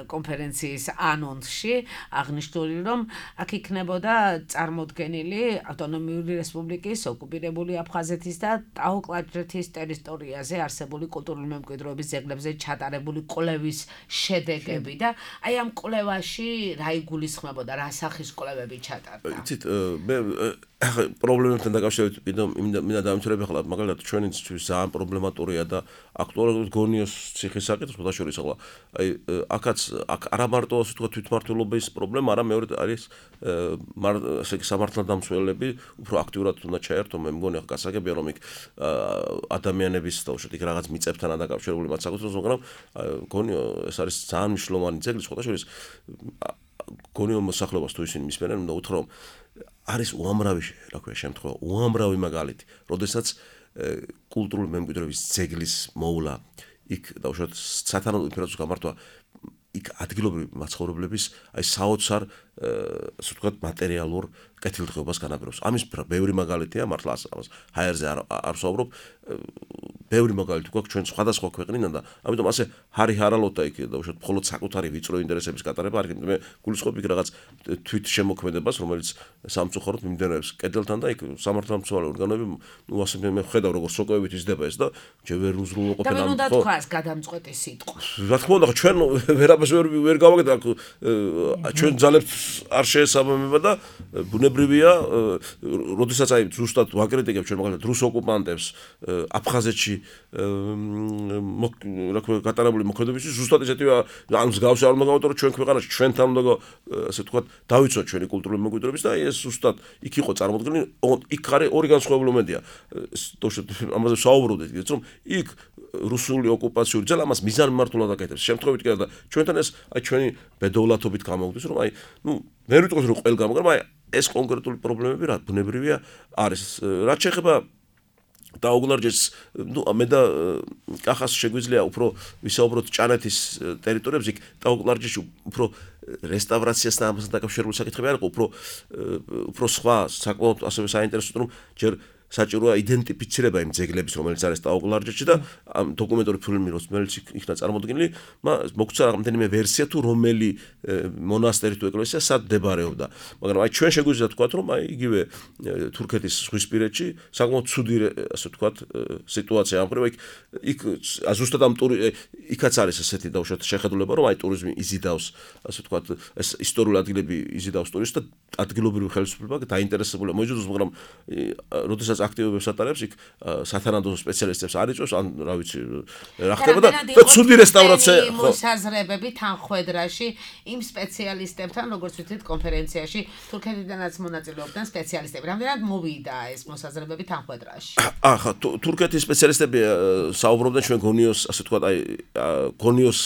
კონფერენციის ანონსში აღნიშნული, რომ აქ იქნებოდა წარმოდგენილი ავტონომიური რესპუბლიკის ოკუპირებული აფხაზეთის და ტაო-კლარჯეთის ტერიტორიაზე არსებული კულტურული მემკვიდრეობის ძეგლებზე ჩატარებული კვლევის შედეგები და აი ამ კვლევაში რა იგულისხმებოდა, რა სახის კვლევები ჩატარდა. იცით, მე პრობლემებთან დაკავშირებით მინდა დავიმთავრებ ახლა მაგალითად ჩვენთვის ძალიან პრობლემატურია და აქტუალურად გონიოს ციხის საკითხი შესაძლოა ახლა აი აქაც არა მარტო ასე ვთქვათ თვითმმართველობის პრობლემა, არა მეორე არის ესე იგი სამართალდამცველები უფრო აქტიურად უნდა ჩაერთონ. მე მგონი ახლა გასაგებია რომ იქ ადამიანების და უშუალოდ იქ რაღაც მიწებთან დაკავშირებული მათ საკუთრებას, მაგრამ გონიო ეს არის ძალიან მნიშვნელოვანი ძეგლი შესაძლოა გონიო მოსახლეობას თუ ისინი მისმენენ, უნდა უთხრა რომ არის უამრავი, რა ქვია, შემთხვევა, უამრავი მაგალითი, როდესაც კულტურული მემკვიდრეობის ძეგლის მოვლა იქ და უშუალოდ სათანადო ინფრასტრუქტურის გამართვა იქ ადგილობრივი მაცხოვრებლების აი საოცარ ასე ვთქვათ მატერიალურ კეთილდღეობას განაპირობებს. ამის ბევრი მაგალითია, მართლა ამას ჰაერზე არ ვსაუბრობ, ბევრი მაგალითი გვაქვს ჩვენ სხვადასხვა ქვეყნიდან და ამიტომ ასე ჰარი-ჰარალოდ და იქ და უშუალოდ მხოლოდ საკუთარი ვიწრო ინტერესების გატარება არ იქნება. მე გულისხმობ იქ რაღაც თვით შემოქმედებას, რომელიც სამწუხაროდ მიმდინარეობს კედელთან და იქ სამართალმცველი ორგანოები, ნუ ასე მე ხედავ როგორ სოკოებით იზრდება ეს და ჯერ ვერ უზრუნველყოფენ ამ. და უნდა თქვას გადამწყვეტი სიტყვა. რა თქმა უნდა, ჩვენ ვერაფერს ვერ გავაკეთებ, ჩვენ ძალებს არ შეესაბამება და ბუნებრივია, როდესაც აი ზუსტად ვაკრიტიკებ ჩვენ მაგალითად რუს ოკუპანტებს აფხაზეთში რა ქვია გატარებული მოქმედებისთვის ზუსტად ესეთივე ან მსგავსი არ უნდა გავატარო ჩვენ ქვეყანაში ჩვენთან უნდა ასე ვთქვათ დავიცოთ ჩვენი კულტურული მემკვიდრეობის და ეს ზუსტად იქ იყო წარმოდგენილი იქ არის ორი განსხვავებული მომენტია ამაზე საუბრობდით ისე რომ იქ რუსული ოკუპაციური ძალა მას მიზანმიმართულად აკეთებს შემთხვევით კი და ჩვენთან ეს აი ჩვენი ბედოვლათობით გამოგვდის რომ აი ვერ ვიტყვის რომ ყველგან მაგრამ აი ეს კონკრეტული პრობლემები რა ბუნებრივია არის რაც შეეხება დაუგლარჯეს მე და კახას შეგვიძლია უფრო ვისაუბროთ ჭანეთის ტერიტორიებზე იქ დაუგლარჯეში უფრო რესტავრაციასთან ამასთან დაკავშირებული საკითხები არ იყო უფრო სხვა საკმაოდ ასევე საინტერესო რომ ჯერ საჭიროა იდენტიფიცირება იმ ძეგლების რომელიც არის დაუგლარჯეში და ამ დოკუმენტური ფილმი რომელიც იქნა წარმოდგენილი მოგცა რამდენიმე ვერსია თუ რომელი მონასტერი თუ ეკლესია სად მდებარეობდა მაგრამ აი ჩვენ შეგვიძლია თქვა რომ აი იგივე თურქეთის ზღვისპირეთში საკმაოდ ცუდი ასე ვთქვათ სიტუაცია ამხრივ იქ ზუსტად ამ იქაც არის ესეთი დაუშვათ შეხედულება რომ აი ტურიზმი იზიდავს ასე ვთქვათ ეს ისტორიული ადგილები იზიდავს ტურისტს და ადგილობრივი ხელისუფლება დაინტერესებულია მოიძულოს მაგრამ როდესაც აქტივობებს ატარებს იქ სათანადო სპეციალისტებს არ იწვევს ან რა ვიცი რა ხდება და ცუდი რესტავრაცია მოსაზრებები თანხwebdriverში იმ სპეციალისტებთან როგორც ვთქვით კონფერენციაში თურქეთიდანაც მონაწილეობდნენ სპეციალისტები რამდენად მოვიდა ეს მოსაზრებები თანხwebdriverში ახლა თურქეთის სპეციალისტები საუბრობდნენ ჩვენ გონიოს ასე ვთქვათ აი გონიოს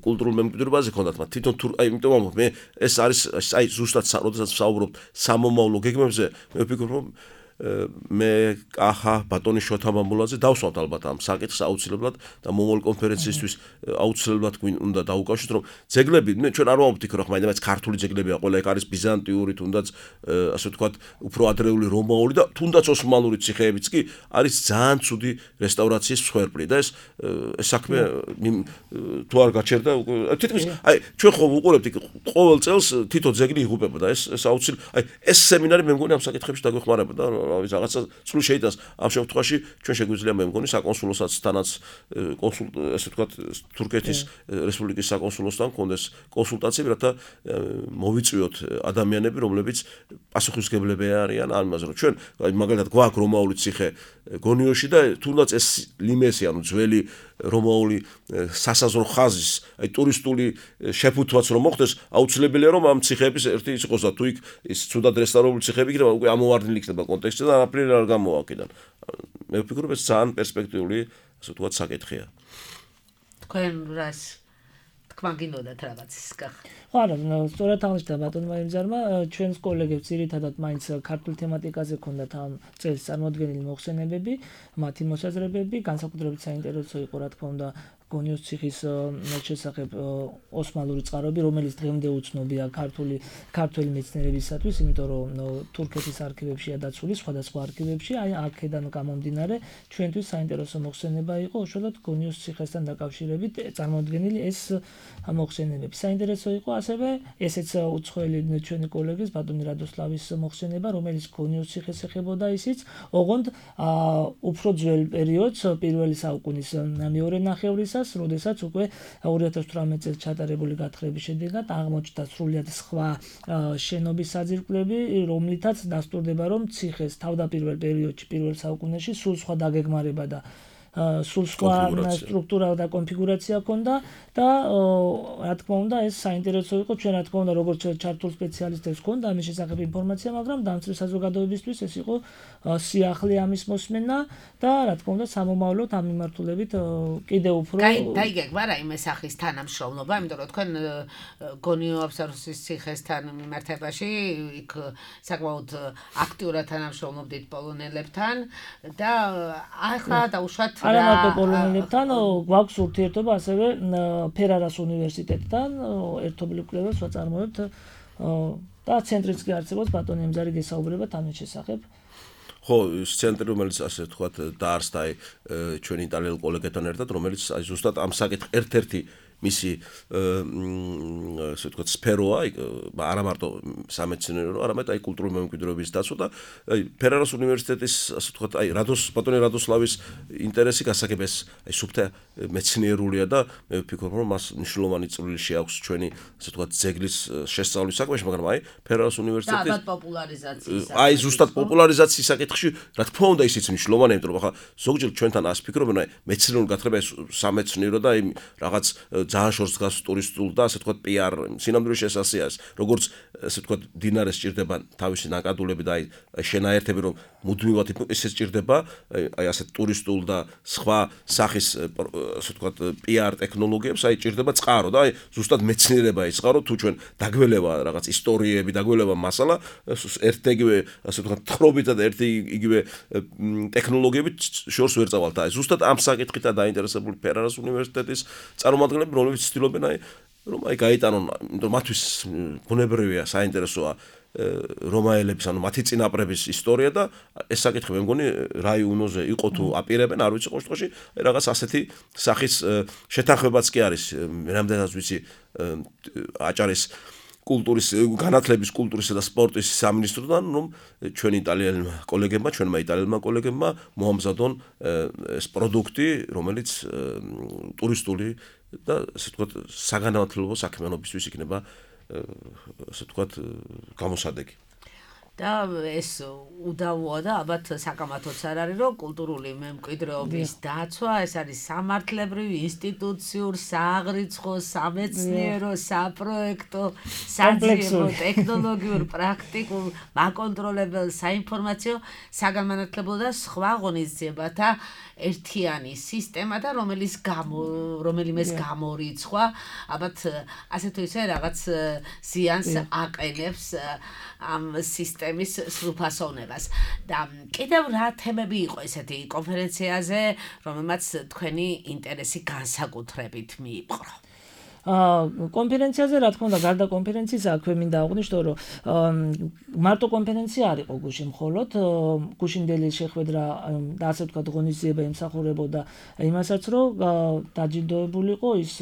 კულტურულ მემკვიდრეობაზე ქონდათ მათ თვითონ აი იმიტომ მე ეს არის აი ზუსტად როდესაც საუბრობთ სამომავლო გეგმებზე მე ვფიქრობ რომ მე კახა ბატონი შოთა მამულაძე დავსვამთ ალბათ ამ საკითხს აუცილებლად და მომავალ კონფერენციისთვის აუცილებლად უნდა დაუკავშიროთ რომ ძეგლები ჩვენ არ ვამბობთ რომ მაინც ქართული ძეგლებია ყველა ეგ არის ბიზანტიური თუნდაც ასე ვთქვათ უფრო ადრეული რომაული და თუნდაც ოსმალური ციხეებიც კი არის ძალიან ცუდი რესტავრაციის მსხვერპლი და ეს საქმე თუ არ გაჩერდა თითქმის აი ჩვენ ხომ ვუყურებთ ყოველ წელს თითო ძეგლი იღუპებოდა ეს აუცილებლად აი ეს სემინარი მე მგონი ამ საკითხებში დაგვეხმარებოდა რაღაცა სულ შეიტანს ამ შემთხვევაში ჩვენ შეგვიძლია მე მგონი საკონსულოსაც თანაც ესე ვთქვათ თურქეთის რესპუბლიკის საკონსულოსთან კონდეს კონსულტაციები რათა მოვიწვიოთ ადამიანები რომლებიც პასუხისმგებლები არიან ამ იმაზე რომ ჩვენ მაგალითად გვაქვს რომაული ციხე გონიოში და თუნდაც ეს ლიმესი ანუ ძველი რომაული სასაზღვრო ხაზის აი ტურისტული შეფუთვაც რომ მოხდეს აუცილებელია რომ ამ ციხეების ერთი ის იყოს და თუ იქ ის ცუდად რესტავრირებული ციხეები იქნება უკვე ამოვარდნილი იქნება კონტექსტში და აფრინი არ გამოვა აქედან მე ვფიქრობ ეს ძალიან პერსპექტიული ასე ვთქვათ საკითხია თქვენ რას თქვა გინდათ რაღაცის კახ ხო არა სწორად აღნიშნა ბატონმა იმზარმა ჩვენს კოლეგებს ძირითადად მაინც ქართულ თემატიკაზე ქონდათ ამ წელს წარმოდგენილი მოხსენებები მათი მოსაზრებები განსაკუთრებით საინტერესო იყო რა თქმა უნდა გონიოს ციხის შესახებ ოსმალური წყაროები რომელიც დღემდე უცნობია ქართული მეცნიერებისათვის იმიტომ რომ თურქეთის არქივებშია დაცული სხვადასხვა არქივებში აი აქედან გამომდინარე ჩვენთვის საინტერესო მოხსენება იყო უშუალოდ გონიოს ციხესთან დაკავშირებით წარმოდგენილი ეს მოხსენებები საინტერესო იყო ასევე ესეც უცხოელი ჩვენი კოლეგის ბატონი რადოსლავის მოხსენება რომელიც გონიოს ციხეს ეხებოდა ისიც ოღონდ უფრო ძველ პერიოდს პირველი საუკუნის მეორე ნახევრისას როდესაც უკვე 2018 წელს ჩატარებული გათხრების შედეგად აღმოჩნდა სრულიად სხვა შენობის საძირკვლები რომლითაც დასტურდება რომ ციხეს თავდაპირველ პერიოდში პირველ საუკუნეში სულ სხვა დაგეგმარება და სულ სხვა სტრუქტურა და კონფიგურაცია ჰქონდა და რა თქმა უნდა ეს საინტერესო იყო ჩვენ რა თქმა უნდა როგორც ჩართულ სპეციალისტებს ჰქონდა ამის შესახებ ინფორმაცია მაგრამ დამცველი საზოგადოებისთვის ეს იყო სიახლე ამის მოსმენა და რა თქმა უნდა სამომავლოდ ამ მიმართულებით კიდევ უფრო დაიგეგმა რა იმ სახლის თანამშრომლობა იმიტომ რომ თქვენ გონიო აბსარუსის ციხესთან მიმართებაში იქ საკმაოდ აქტიურად თანამშრომლობდით პოლონელებთან და ახლა დაუშვათ არა მარტო პოლონელებთან გვაქვს ურთიერთობა ასევე ფერარას უნივერსიტეტთან ერთობლივ კვლევას ვაწარმოებთ და ცენტრიც კი არსებობს ბატონი ემზარი გესაუბრებათ ამის შესახებ ხო ის ცენტრი რომელიც ასე ვთქვათ დაარსდა ჩვენი იტალიელ კოლეგებთან ერთად რომელიც აი ზუსტად ამ საკითხ ერთ-ერთი მისი ასე ვთქვათ სფეროა, არა მარტო სამეცნიერო, არამედ აი კულტურული მემკვიდრეობის დაცვა და აი ფერარას უნივერსიტეტის ასე ვთქვათ აი ბატონი რადოსლავის ინტერესი გასაგებეს აი სუფთა მეცნიერულია და მე ვფიქრობ რომ მას მნიშვნელოვანი წვლილი შეაქვს ჩვენი ასე ვთქვათ ძეგლის შესწავლის საქმეში, მაგრამ აი ფერარას უნივერსიტეტის და პოპულარიზაციის აი ზუსტად პოპულარიზაციის საკითხში რა თქმა უნდა ისიც მნიშვნელოვანია, იმიტომ რომ ახლა ზოგჯერ ჩვენთან ასე ფიქრობენ აი მეცნიერული გათხრება ეს სამეცნიერო და აი რაღაც ძალიან შორს დგას ტურისტულ და ასე ვთქვათ PR სინამდვილეში ეს ასეა, როგორც ასე ვთქვათ დინარეს ჭირდება თავისი ნაკადულები და აი შენაერთები რომ მუდმივად ისე ჭირდება აი ასე ტურისტულ და სხვა სახის ასე ვთქვათ PR ტექნოლოგიებს აი ჭირდება წყარო და აი ზუსტად მეცნიერება ის წყარო თუ ჩვენ დაგველევა რაღაც ისტორიები დაგველევა მასალა ერთ-იგივე ასე ვთქვათ თხრობითა და ერთ-იგივე ტექნოლოგიებით შორს ვერ წავალთ აი ზუსტად ამ საკითხითა დაინტერესებული ფერარას უნივერსიტეტის წარმომადგენლები რომლებიც ცდილობენ აი რომ აი გაიტანონ იმიტომ მათთვის ბუნებრივია საინტერესოა რომაელების ანუ მათი წინაპრების ისტორია და ეს საკითხი მე მგონი რაიონოზე იყო თუ აპირებენ არ ვიცი ყოველ შემთხვევაში რაღაც ასეთი სახის შეთანხმებაც კი არის რამდენადაც ვიცი აჭარის კულტურის განათლების კულტურისა და სპორტის სამინისტროდან რომ ჩვენი იტალიელმა კოლეგებმა მოამზადონ ეს პროდუქტი რომელიც ტურისტული და ასე ვთქვათ საგანმანათლებლო საქმიანობისთვის იქნება ასე ვთქვათ გამოსადეგი და ეს უდავოა და ალბათ საკამათოც არ არის რომ კულტურული მემკვიდრეობის დაცვა ეს არის სამართლებრივი ინსტიტუციურ სააღრიცხვო სამეცნიერო საპროექტო საძიებო ტექნოლოგიურ პრაქტიკულ მაკონტროლებელ საინფორმაციო საგანმანათლებლო და სხვა ღონისძიებათა ერთიანი სისტემა და რომელიმეს გამორიცხვა ალბათ ასე თუ ისე რაღაც ზიანს აყენებს ამ სისტემის სრულფასოვნებას და კიდევ რა თემები იყო ესეთი კონფერენციაზე რომელმაც თქვენი ინტერესი განსაკუთრებით მიიპყრო კონფერენციაზე რა თქმა უნდა გარდა კონფერენციის აქვე მინდა აღვნიშნო რომ მარტო კონფერენცია არ იყო გუშინ მხოლოდ გუშინდელი შეხვედრა და ასე ვთქვათ ღონისძიება ემსახურებოდა იმასაც რომ დაჯილდოებულიყო ის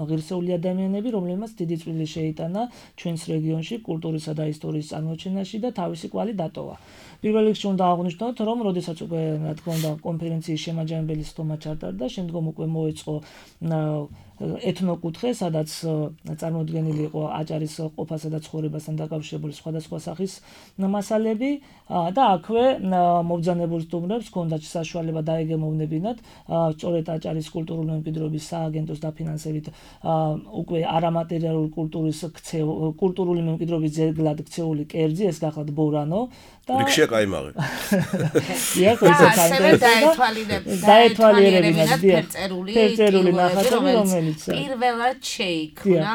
ღირსეული ადამიანები რომლებმაც დიდი წვლილი შეიტანა ჩვენს რეგიონში კულტურისა და ისტორიის წარმოჩენაში და თავისი კვალი დატოვა პირველ რიგში უნდა აღვნიშნოთ რომ როდესაც უკვე რა თქმა უნდა კონფერენციის შემაჯამებელი სტომა ჩატარდა შემდგომ უკვე მოეწყო ეთნოკუთხე, სადაც წარმოდგენილი იყო აჭარის ყოფასა და ცხოვრებასთან დაკავშირებული სხვადასხვა სახის მასალები და აქვე მობრძანებულ სტუმრებს ჰქონდათ საშუალება დაეგემოვნებინათ სწორედ აჭარის კულტურული მემკვიდრეობის სააგენტოს დაფინანსებით უკვე არამატერიალური კულტურული მემკვიდრეობის ძეგლად ქცეული კერძი, ეს გახლავთ ბორანო და რიქშია კაიმაღი. დაეთვალიერებინათ ფერწერული ნახატები რომელიც პირველად შეიქმნა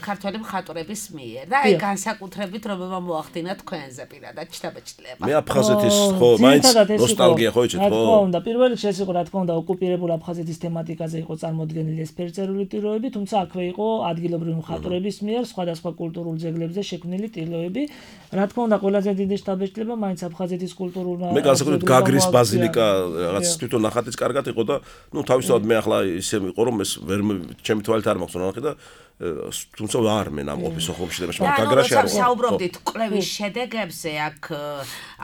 ქართველი მხატვრების მიერ და აი განსაკუთრებით რომელმა მოახდინა თქვენზე პირადად ჩთაბეჭდილება. მე აფხაზეთის ხო მაინც ნოსტალგია ხო იცით ხო? რა თქმა უნდა პირველ რიგში ეს იყო რა თქმა უნდა ოკუპირებულ აფხაზეთის თემატიკაზე იყო წარმოდგენილი ეს ფერწერული ტილოები, თუმცა აქვე იყო ადგილობრივი მხატვრების მიერ სხვადასხვა კულტურულ ძეგლებზე შექმნილი ტილოები. რა თქმა უნდა ყველაზე დიდი შთაბეჭდილება მაინც აფხაზეთის კულტურულ მე განსაკუთრებით გაგრის ბაზილიკა რაღაც თვითონ ნახატიც კარგად იყო და ნუ თავისთავად მე ახლა ისე იყო რომ ეს ვერ ჩემი თვალით არ მაქვს ნახე და თუმცა არ მე ნამყოფი სოხუმში და გაგრაში არ საუბრობდით კვლევის შედეგებზე აქ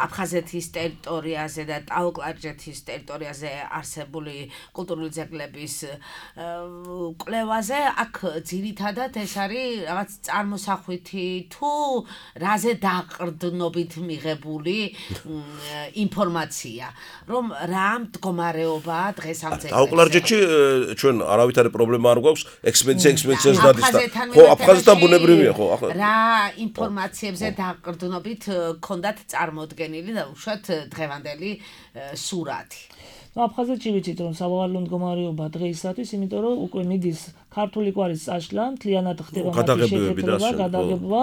აფხაზეთის ტერიტორიაზე და ტაო-კლარჯეთის ტერიტორიაზე არსებული კულტურული ძეგლების კვლევაზე აქ ძირითადად ეს არის რაღაც წარმოსახვითი თუ რაზე დაყრდნობით მიღებული ინფორმაცია რომ რა მდგომარეობაა დღეს ამ ძეგლებში ტაო-კლარჯეთში ჩვენ არავითარი პრობლემა არ გვაქვს ექსპედიციას დადის ხო აფხაზეთთან ბუნებრივია ხო რა ინფორმაციებზე დაყრდნობით ქონდათ წარმოდგენილი და უშუალოდ დღევანდელი სურათი აფხაზეთში ვიცით რომ სავალალო მდგომარეობა დღეისათვის იმიტომ რომ უკვე მიდის ქართული კვარის წაშლა მთლიანად ხდება მათი შეკეთება გადაღება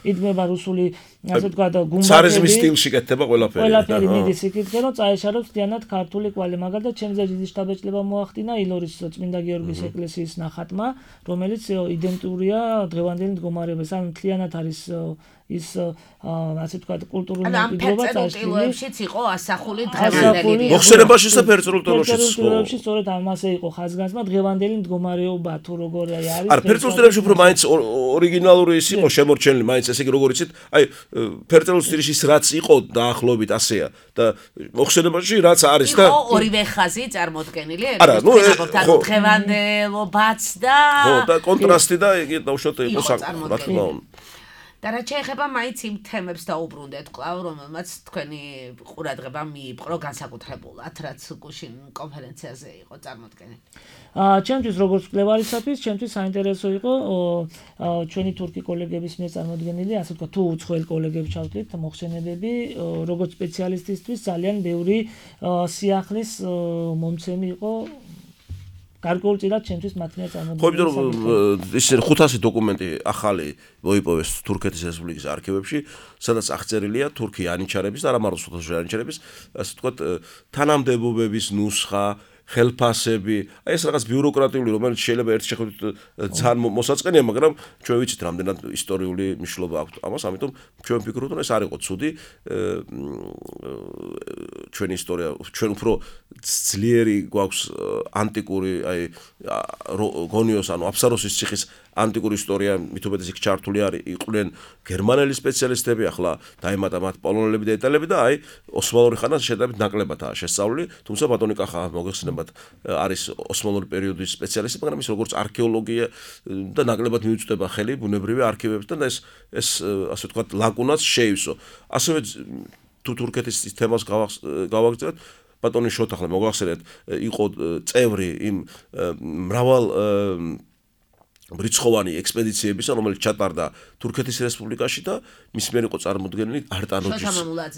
იდგმება რუსული ასე ვთქვათ გუმბათები ცარიზმის სტილში კეთდება ყველაფერი მიდის იქითკენ რომ წაეშალოს მთლიანად ქართული კვალი მაგალითად ჩემზე დიდი შთაბეჭდილება მოახდინა ილორის წმინდა გიორგის ეკლესიის ნახატმა რომელიც იდენტურია დღევანდელი მდგომარეობის ან მთლიანად არის ის ასე ვთქვათ კულტურული მემკვიდრეობა წარსულში იყო ასახული დღევანდელი მოხსენებაში და ფერწერულ ტილოშიც ტილოებში სწორედ ამასე იყო ხაზგასმა დღევანდელი მდგომარეობა თუ როგორ არის არა ფერწერულ ტილოებში უფრო მაინც ორიგინალური ის იყო შემორჩენილი მაინც ესე იგი როგორ იცით აი ფერწერულ სტილში რაც იყო დაახლოებით ასეა და მოხსენებაში რაც არის და იყო ორივე ხაზი წარმოდგენილი არა ნუ დღევანდელობაც და ხო და კონტრასტი და იგი დაუშვათ იყო რა თქმა უნდა და რა შეეხება მაინც იმ თემებს დაუბრუნდეთ კვლავ რომელმაც თქვენი ყურადღება მიიპყრო განსაკუთრებულად რაც გუშინ კონფერენციაზე იყო წარმოდგენილი ჩემთვის როგორც კვლევარისათვის ჩემთვის საინტერესო იყო ჩვენი თურქი კოლეგების მიერ წარმოდგენილი ასე ვთქვათ თუ უცხოელ კოლეგებს ჩავთვლით მოხსენებები როგორც სპეციალისტისთვის ძალიან ბევრი სიახლის მომცემი იყო გარკვეულწილად ჩემთვის მათ მიერ წარმოდგენილი ხო იმიტომ რომ ის 500 დოკუმენტი ახალი მოიპოვეს თურქეთის რესპუბლიკის არქივებში სადაც აღწერილია თურქი ანიჩარების და არა მარტო სოთაშორი ანიჩარების ასე ვთქვათ თანამდებობების ნუსხა ხელფასები აი ეს რაღაც ბიუროკრატიული რომელიც შეიძლება ერთ შეხედვით ძალიან მოსაწყენია მაგრამ ჩვენ ვიცით რამდენად ისტორიული მნიშვნელობა აქვს ამას ამიტომ ჩვენ ვფიქრობთ რომ ეს არ იყო ცუდი ჩვენი ისტორია ჩვენ უფრო ძლიერი გვაქვს ანტიკური აი გონიოს ანუ აფსაროსის ციხის ანტიკური ისტორია მითუმეტეს იქ ჩართული არის იყვნენ გერმანელი სპეციალისტები ახლა დაემატა მათ პოლონელები და იტალიელები და აი ოსმალური ხანა შედარებით ნაკლებადაა შესწავლილი თუმცა ბატონი კახა მოგეხსენებათ არის ოსმალური პერიოდის სპეციალისტი მაგრამ ის როგორც არქეოლოგია და ნაკლებად მიუწვდება ხელი ბუნებრივი არქივებთან და ეს ასე ვთქვათ ლაკუნას შეივსო ასევე თუ თურქეთის თემას გავაგრძელებთ ბატონი შოთახლა მოგახსენეთ იყო წევრი იმ მრავალ ბრიცხოვანი ექსპედიციებისა რომელიც ჩატარდა თურქეთის რესპუბლიკაში და მის მიერ იყო წარმოდგენილი არტანუჯის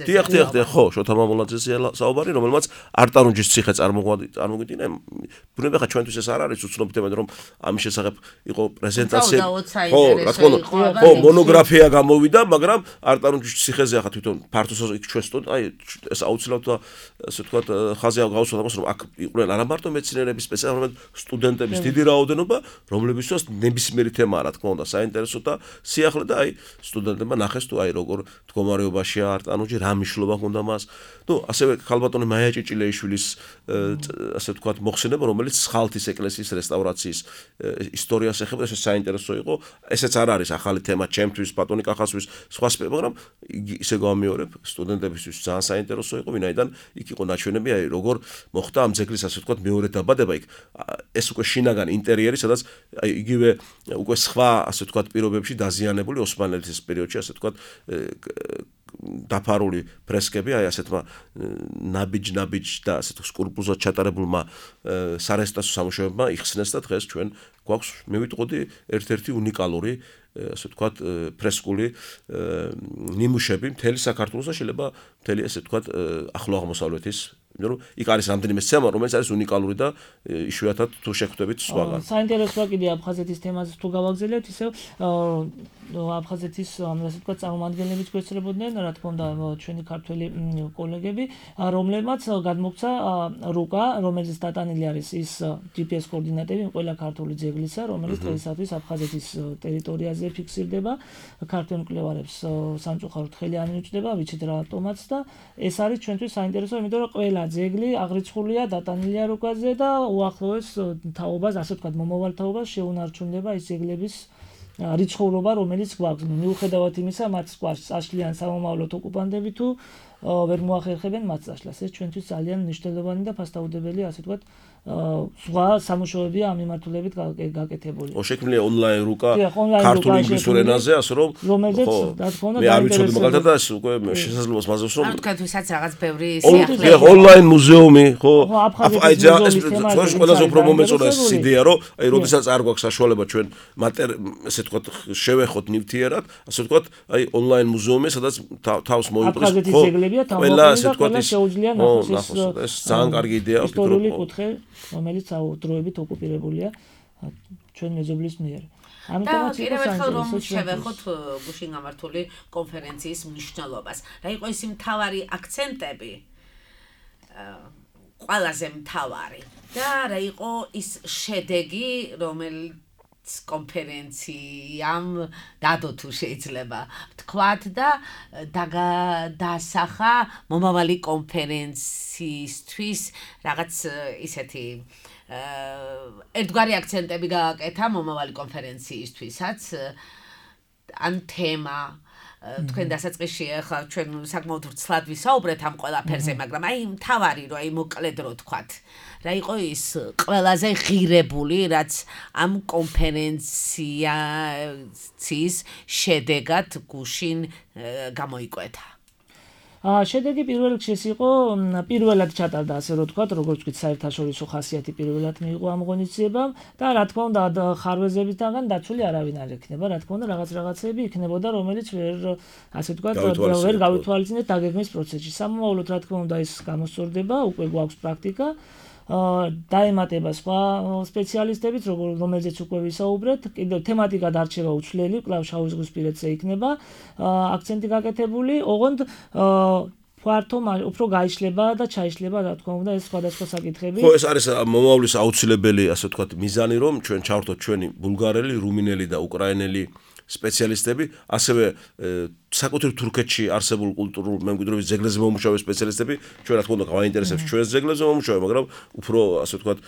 დიახ ხო შოთა მამულაძეზე საუბარი რომელმაც არტანუჯის ციხე წარმოგვიდგინა ბუნებრივია ხა ჩვენთვის ეს არ არის უცნობი თემა რომ ამის შესახებ იყო პრეზენტაცია ხო რა თქმა უნდა ხო მონოგრაფია გამოვიდა მაგრამ არტანუჯის ციხეზე ხა თვითონ ფართოსა იქ ჩვენ აი ეს აუცილებლად ასე ვთქვათ ხაზე გავუსვათ ამას რომ აქ იყვნენ არა მარტო მეცნიერების სპეციალისტები სტუდენტების დიდი რაოდენობა რომლებისთვის ნებისმიერი თემაა რა თქმა უნდა საინტერესო და სიახლე და აი სტუდენტებმა ნახეს თუ აი როგორ მდგომარეობაშია არტანუჯი რა მნიშვნელობა ჰქონდა მას ნუ ასევე ქალბატონი მაია ჭიჭილეიშვილის ასე ვთქვათ მოხსენება რომელიც სხალთის ეკლესიის რესტავრაციის ისტორიას ეხება ეს საინტერესო იყო ესეც არ არის ახალი თემა ჩემთვის ბატონი კახასთვის სხვა მაგრამ ისე გამიორებ სტუდენტებისთვის ძალიან საინტერესო იყო ვინაიდან იქ იყო ნაჩვენები აი როგორ მოხდა ამ ძეგლის ასე ვთქვათ მეორე დაბადება იქ ეს უკვე შინაგანი ინტერიერი სადაც აი იგივე უკვე სხვა ასე ვთქვათ პირობებში დაზიანებული ოსმალეთის პერიოდში ასე ვთქვათ დაფარული ფრესკები აი ასეთმა ნაბიჯ და ასეთ სკულპტურულად ჩატარებულმა სარესტავრაციო სამუშაოებმა იხსნეს და დღეს ჩვენ გვაქვს მე ვიტყოდი ერთ-ერთი უნიკალური ასე ვთქვათ ფრესკული ნიმუშები მთელი საქართველოს და შეიძლება მთელი ასე ვთქვათ ახლო აღმოსავლეთის იმიტომ რომ იქ არის რამდენიმე სცენა რომელიც არის უნიკალური და იშვიათად თუ შეხვდებით სხვაგან. საინტერესოა კიდე აფხაზეთის თემაზე თუ გავაგზავნებთ ისევ აფხაზეთის ასე ვთქვათ წარმომადგენლებიც გვეცრებოდნენ რა თქმა უნდა ჩვენი ქართველი კოლეგები რომლებმაც გადმოგცა რუკა რომელიც დატანილი არის ის GPS კოორდინატები ყველა ქართული ძეგლისა რომელიც დღეისათვის აფხაზეთის ტერიტორიაზე ფიქსირდება ქართველ მკვლევარებს სამწუხაროდ ხელი არ მიუჭდება ვიცით რატომაც და ეს არის ჩვენთვის საინტერესო იმიტომ რომ ყველა ძეგლი აღრიცხულია დატანილია რუკაზე და უახლოეს თაობას ასე ვთქვათ მომავალ თაობას შეუნარჩუნდება ის ძეგლების რიცხოვნობა რომელიც გვაქვს მიუხედავად იმისა მათ სკვარს წაშლიან სამომავლოდ ოკუპანტები თუ ვერ მოახერხებენ მათ წაშლას ეს ჩვენთვის ძალიან მნიშვნელოვანი და ფასდაუდებელი ასე ვთქვათ სხვა სამუშაოებია ამ მიმართულებით გაკეთებული. შექმნილია ონლაინ რუკა ქართულ ინგლისურ ენაზე, ასე რომ რომელზეც რა თქმა უნდა მე არ ვიცოდი მაგალითად და უკვე შესაძლოა მასწავლოს რომ თქვენთვისაც რაღაც ბევრი სიახლე ონლაინ მუზეუმი ხო აი ეს ყველაზე უფრო მომეწონა ეს იდეა რომ აი როდესაც არ გვაქვს საშუალება ჩვენ ესე ვთქვათ შევეხოთ ნივთიერად ასე ვთქვათ აი ონლაინ მუზეუმი სადაც თავს მოიპყრეს ხო ყველა ასე ვთქვათ შეუძლია ნახოს ეს ძალიან კარგი იდეაა ისტორიული კუთხე რომელიც დროებით ოკუპირებულია ჩვენ მეზობლის მიერ. ამიტომაც კიდევ ერთხელ რომ შევეხოთ გუშინ გამართული კონფერენციის მნიშვნელობას. რა იყო ის მთავარი აქცენტები? ყველაზე მთავარი და რა იყო ის შედეგი, რომელიც კონფერენციამ დადო თუ შეიძლება თქვათ და დასახა მომავალი კონფერენციისთვის რაღაც ისეთი ერთგვარი აქცენტები გააკეთა მომავალი კონფერენციისთვისაც ან თემა თქვენ დასაწყისში ახლა ჩვენ საკმაოდ ვრცლად ვისაუბრეთ ამ ყველაფერზე, მაგრამ აი მთავარი რომ აი მოკლედ რო თქვათ რა იყო ის ყველაზე ღირებული რაც ამ კონფერენციის შედეგად გუშინ გამოიკვეთა შედეგი პირველ რიგში იყო პირველად ჩატარდა ასე რომ თქვათ როგორც ვთქვით საერთაშორისო ხასიათი პირველად მიიღო ამ ღონისძიებამ და რა თქმა უნდა ხარვეზებისგან დაცული არავინ არ ექნება რა თქმა უნდა რაღაცები იქნებოდა რომელიც ვერ ასე ვთქვათ ვერ გავითვალისწინეთ დაგეგმვის პროცესში სამომავლოდ რა თქმა უნდა ის გამოსწორდება უკვე გვაქვს პრაქტიკა დაემატება სხვა სპეციალისტებიც რომელზეც უკვე ვისაუბრეთ კიდევ თემატიკა დარჩება უცვლელი კვლავ შავიზღვისპირეთზე იქნება აქცენტი გაკეთებული ოღონდ ფართო უფრო გაიშლება და ჩაიშლება რა თქმა უნდა ეს სხვადასხვა საკითხები ხო ეს არის მომავლის აუცილებელი ასე ვთქვათ მიზანი რომ ჩვენ ჩავართოთ ჩვენი ბულგარელი რუმინელი და უკრაინელი სპეციალისტები ასევე საკუთრივ თურქეთში არსებულ კულტურულ მემკვიდრეობის ძეგლებზე მომუშავე სპეციალისტები ჩვენ რა თქმა უნდა გვაინტერესებს ჩვენს ძეგლებზე მომუშავე მაგრამ უფრო ასე ვთქვათ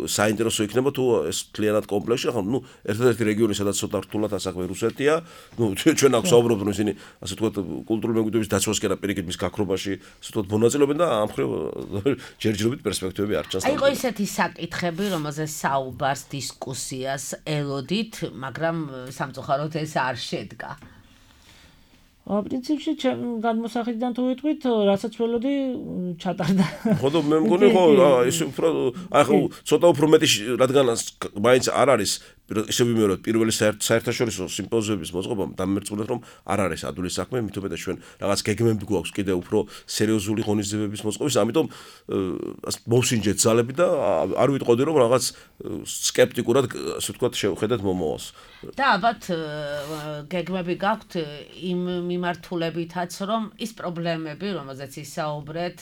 საინტერესო იქნება თუ ეს მთლიანად კომპლექსში ახლა ნუ ერთადერთი რეგიონი სადაც ცოტა რთულად ასაქმე რუსეთია ნუ ჩვენ აქვს საუბრობთ რომ ისინი ასე ვთქვათ კულტურული მემკვიდრეობის დაცვასკენ და პირიქით მის გაქრობაში ასე ვთქვათ მონაწილეობენ და ამ მხრივ ჯერჯერობით პერსპექტივები არ ჩანს აი იყო ისეთი საკითხები რომელზეც საუბარს დისკუსიას ელოდით მაგრამ სამწუხაროდ ეს არ შედგა პრინციპში განმოსახედიდან თუ ვიტყვით, რასაც ველოდი ჩატარდა. ხო და მე მგონი ხო ის უფრო ახლა ცოტა უფრო მეტი რადგან მაინც არ არის ისე ვიმეორებთ პირველი საერთაშორისო სიმპოზიუმის მოწყობამ დამერწმუნეთ რომ არ არის ადვილი საქმე, მით უმეტეს ჩვენ რაღაც გეგმები გვაქვს კიდე უფრო სერიოზული ღონისძიებების მოწყობის, ამიტომ მოვსინჯეთ ძალები და არ ვიტყოდი რომ რაღაც სკეპტიკურად ასე ვთქვათ შევხედეთ მომავალს. და ალბათ გეგმები გაქვთ იმ მიმართულებითაც რომ ის პრობლემები რომელზეც ისაუბრეთ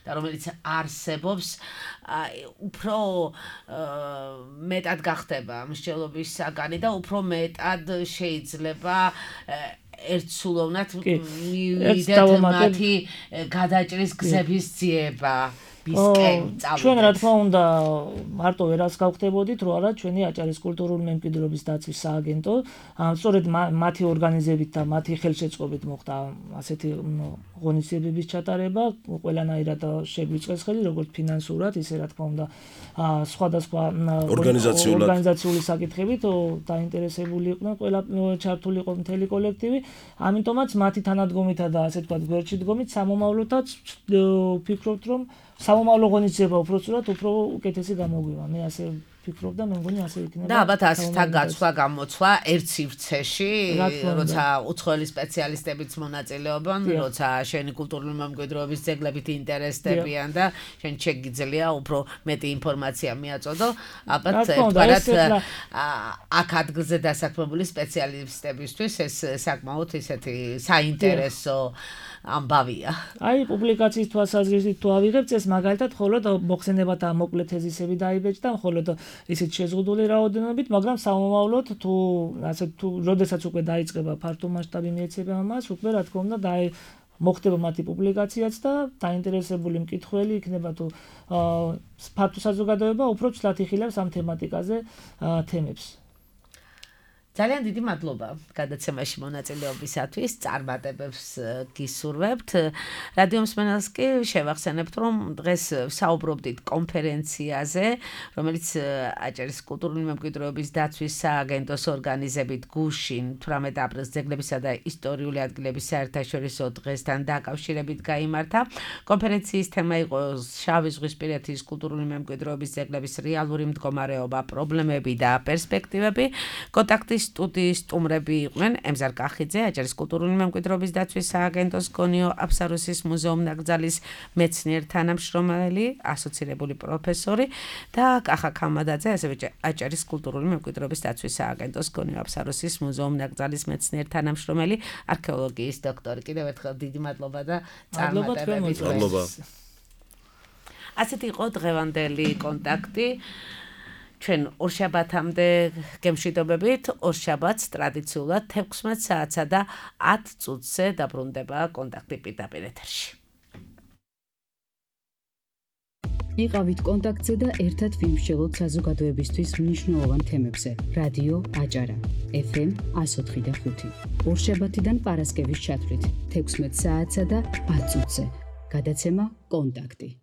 და რომელიც არსებობს უფრო მეტად გახდება მსჯელობის საგანი და უფრო მეტად შეიძლება ერთსულოვნად მივიდეთ მათი გადაჭრის გზების ძიება ჩვენ რა თქმა უნდა მარტო ვერას გავხდებოდით რომ არა ჩვენი აჭარის კულტურული მემკვიდრეობის დაცვის სააგენტო სწორედ მათი ორგანიზებით და მათი ხელშეწყობით მოხდა ასეთი ღონისძიებების ჩატარება ყველანაირად შეგვიწყეს ხელი როგორც ფინანსურად ისე რა თქმა უნდა სხვადასხვა ორგანიზაციული საკითხებით დაინტერესებული იყვნენ ყველა ჩართული იყო მთელი კოლექტივი ამიტომაც მათი თანადგომითა და ასე ვთქვათ გვერდში დგომით სამომავლოდაც ვფიქრობთ რომ სამომავლო ღონისძიება უფრო სწორად უფრო უკეთესი გამოგვივა. მე ასე ვფიქრობ და მე მგონი ასე იქნება. და ალბათ ასეთა გაცვლა გამოცვლა ერთ სივრცეში, როცა უცხოელი სპეციალისტებიც მონაწილეობენ, როცა შენი კულტურული მემკვიდრეობის ძეგლებით ინტერესდებიან და შენ შეგიძლია უფრო მეტი ინფორმაცია მიაწოდო. ალბათ ერთგვარად აქ ადგილზე დასაქმებული სპეციალისტებისთვის ეს საკმაოდ ისეთი საინტერესო ამბავია. აი პუბლიკაციის თვალსაზრისით თუ ავიღებთ ეს მაგალითად მხოლოდ მოხსენებათა მოკლე თეზისები დაიბეჭდა მხოლოდ ისეთ შეზღუდული რაოდენობით, მაგრამ სამომავლოდ თუ ასე თუ როდესაც უკვე დაიწყება ფართო მასშტაბი მიეცემა მას, უკვე რა თქმა უნდა მოხდება მათი პუბლიკაციაც და დაინტერესებული მკითხველი იქნება თუ ფართო საზოგადოება უფრო ცლად იხილავს ამ თემატიკაზე თემებს. ძალიან დიდი მადლობა გადაცემაში მონაწილეობისათვის, წარმატებებს გისურვებთ. რადიო მსმენელს კი შევახსენებთ, რომ დღეს საუბრობდით კონფერენციაზე, რომელიც აჭარის კულტურული მემკვიდრეობის დაცვის სააგენტოს ორგანიზებით გუშინ 18 აპრილს ძეგლებისა და ისტორიული ადგილების საერთაშორისო დღესთან დაკავშირებით გაიმართა. კონფერენციის თემა იყო შავი ზღვისპირეთის კულტურული მემკვიდრეობის ძეგლების რეალური მდგომარეობა, პრობლემები და პერსპექტივები. კონტაქტის სტუდიის სტუმრები იყვნენ ემზარ კახიძე, აჭარის კულტურული მემკვიდრეობის დაცვის სააგენტოს გონიო აფსაროსის მუზეუმ-ნაკრძალის მეცნიერ თანამშრომელი, ასოცირებული პროფესორი და კახა ქამადაძე, ასევე აჭარის კულტურული მემკვიდრეობის დაცვის სააგენტოს გონიო აფსაროსის მუზეუმ-ნაკრძალის მეცნიერ თანამშრომელი, არქეოლოგიის დოქტორი. კიდევ ერთხელ დიდი მადლობა და წარმატებები. მადლობა. ასეთი იყო დღევანდელი კონტაქტი. ჩვენ ორშაბათამდე გემშვიდობებით, ორშაბათს ტრადიციულად 16 საათსა და 10 წუთზე დაბრუნდება კონტაქტი პირდაპირ ეთერში. იყავით კონტაქტზე და ერთად ვიმსჯელოთ საზოგადოებისთვის მნიშვნელოვან თემებზე. რადიო აჭარა, FM 104.5. ორშაბათიდან პარასკევის ჩათვლით 16 საათსა და 10 წუთზე. გადაცემა კონტაქტი.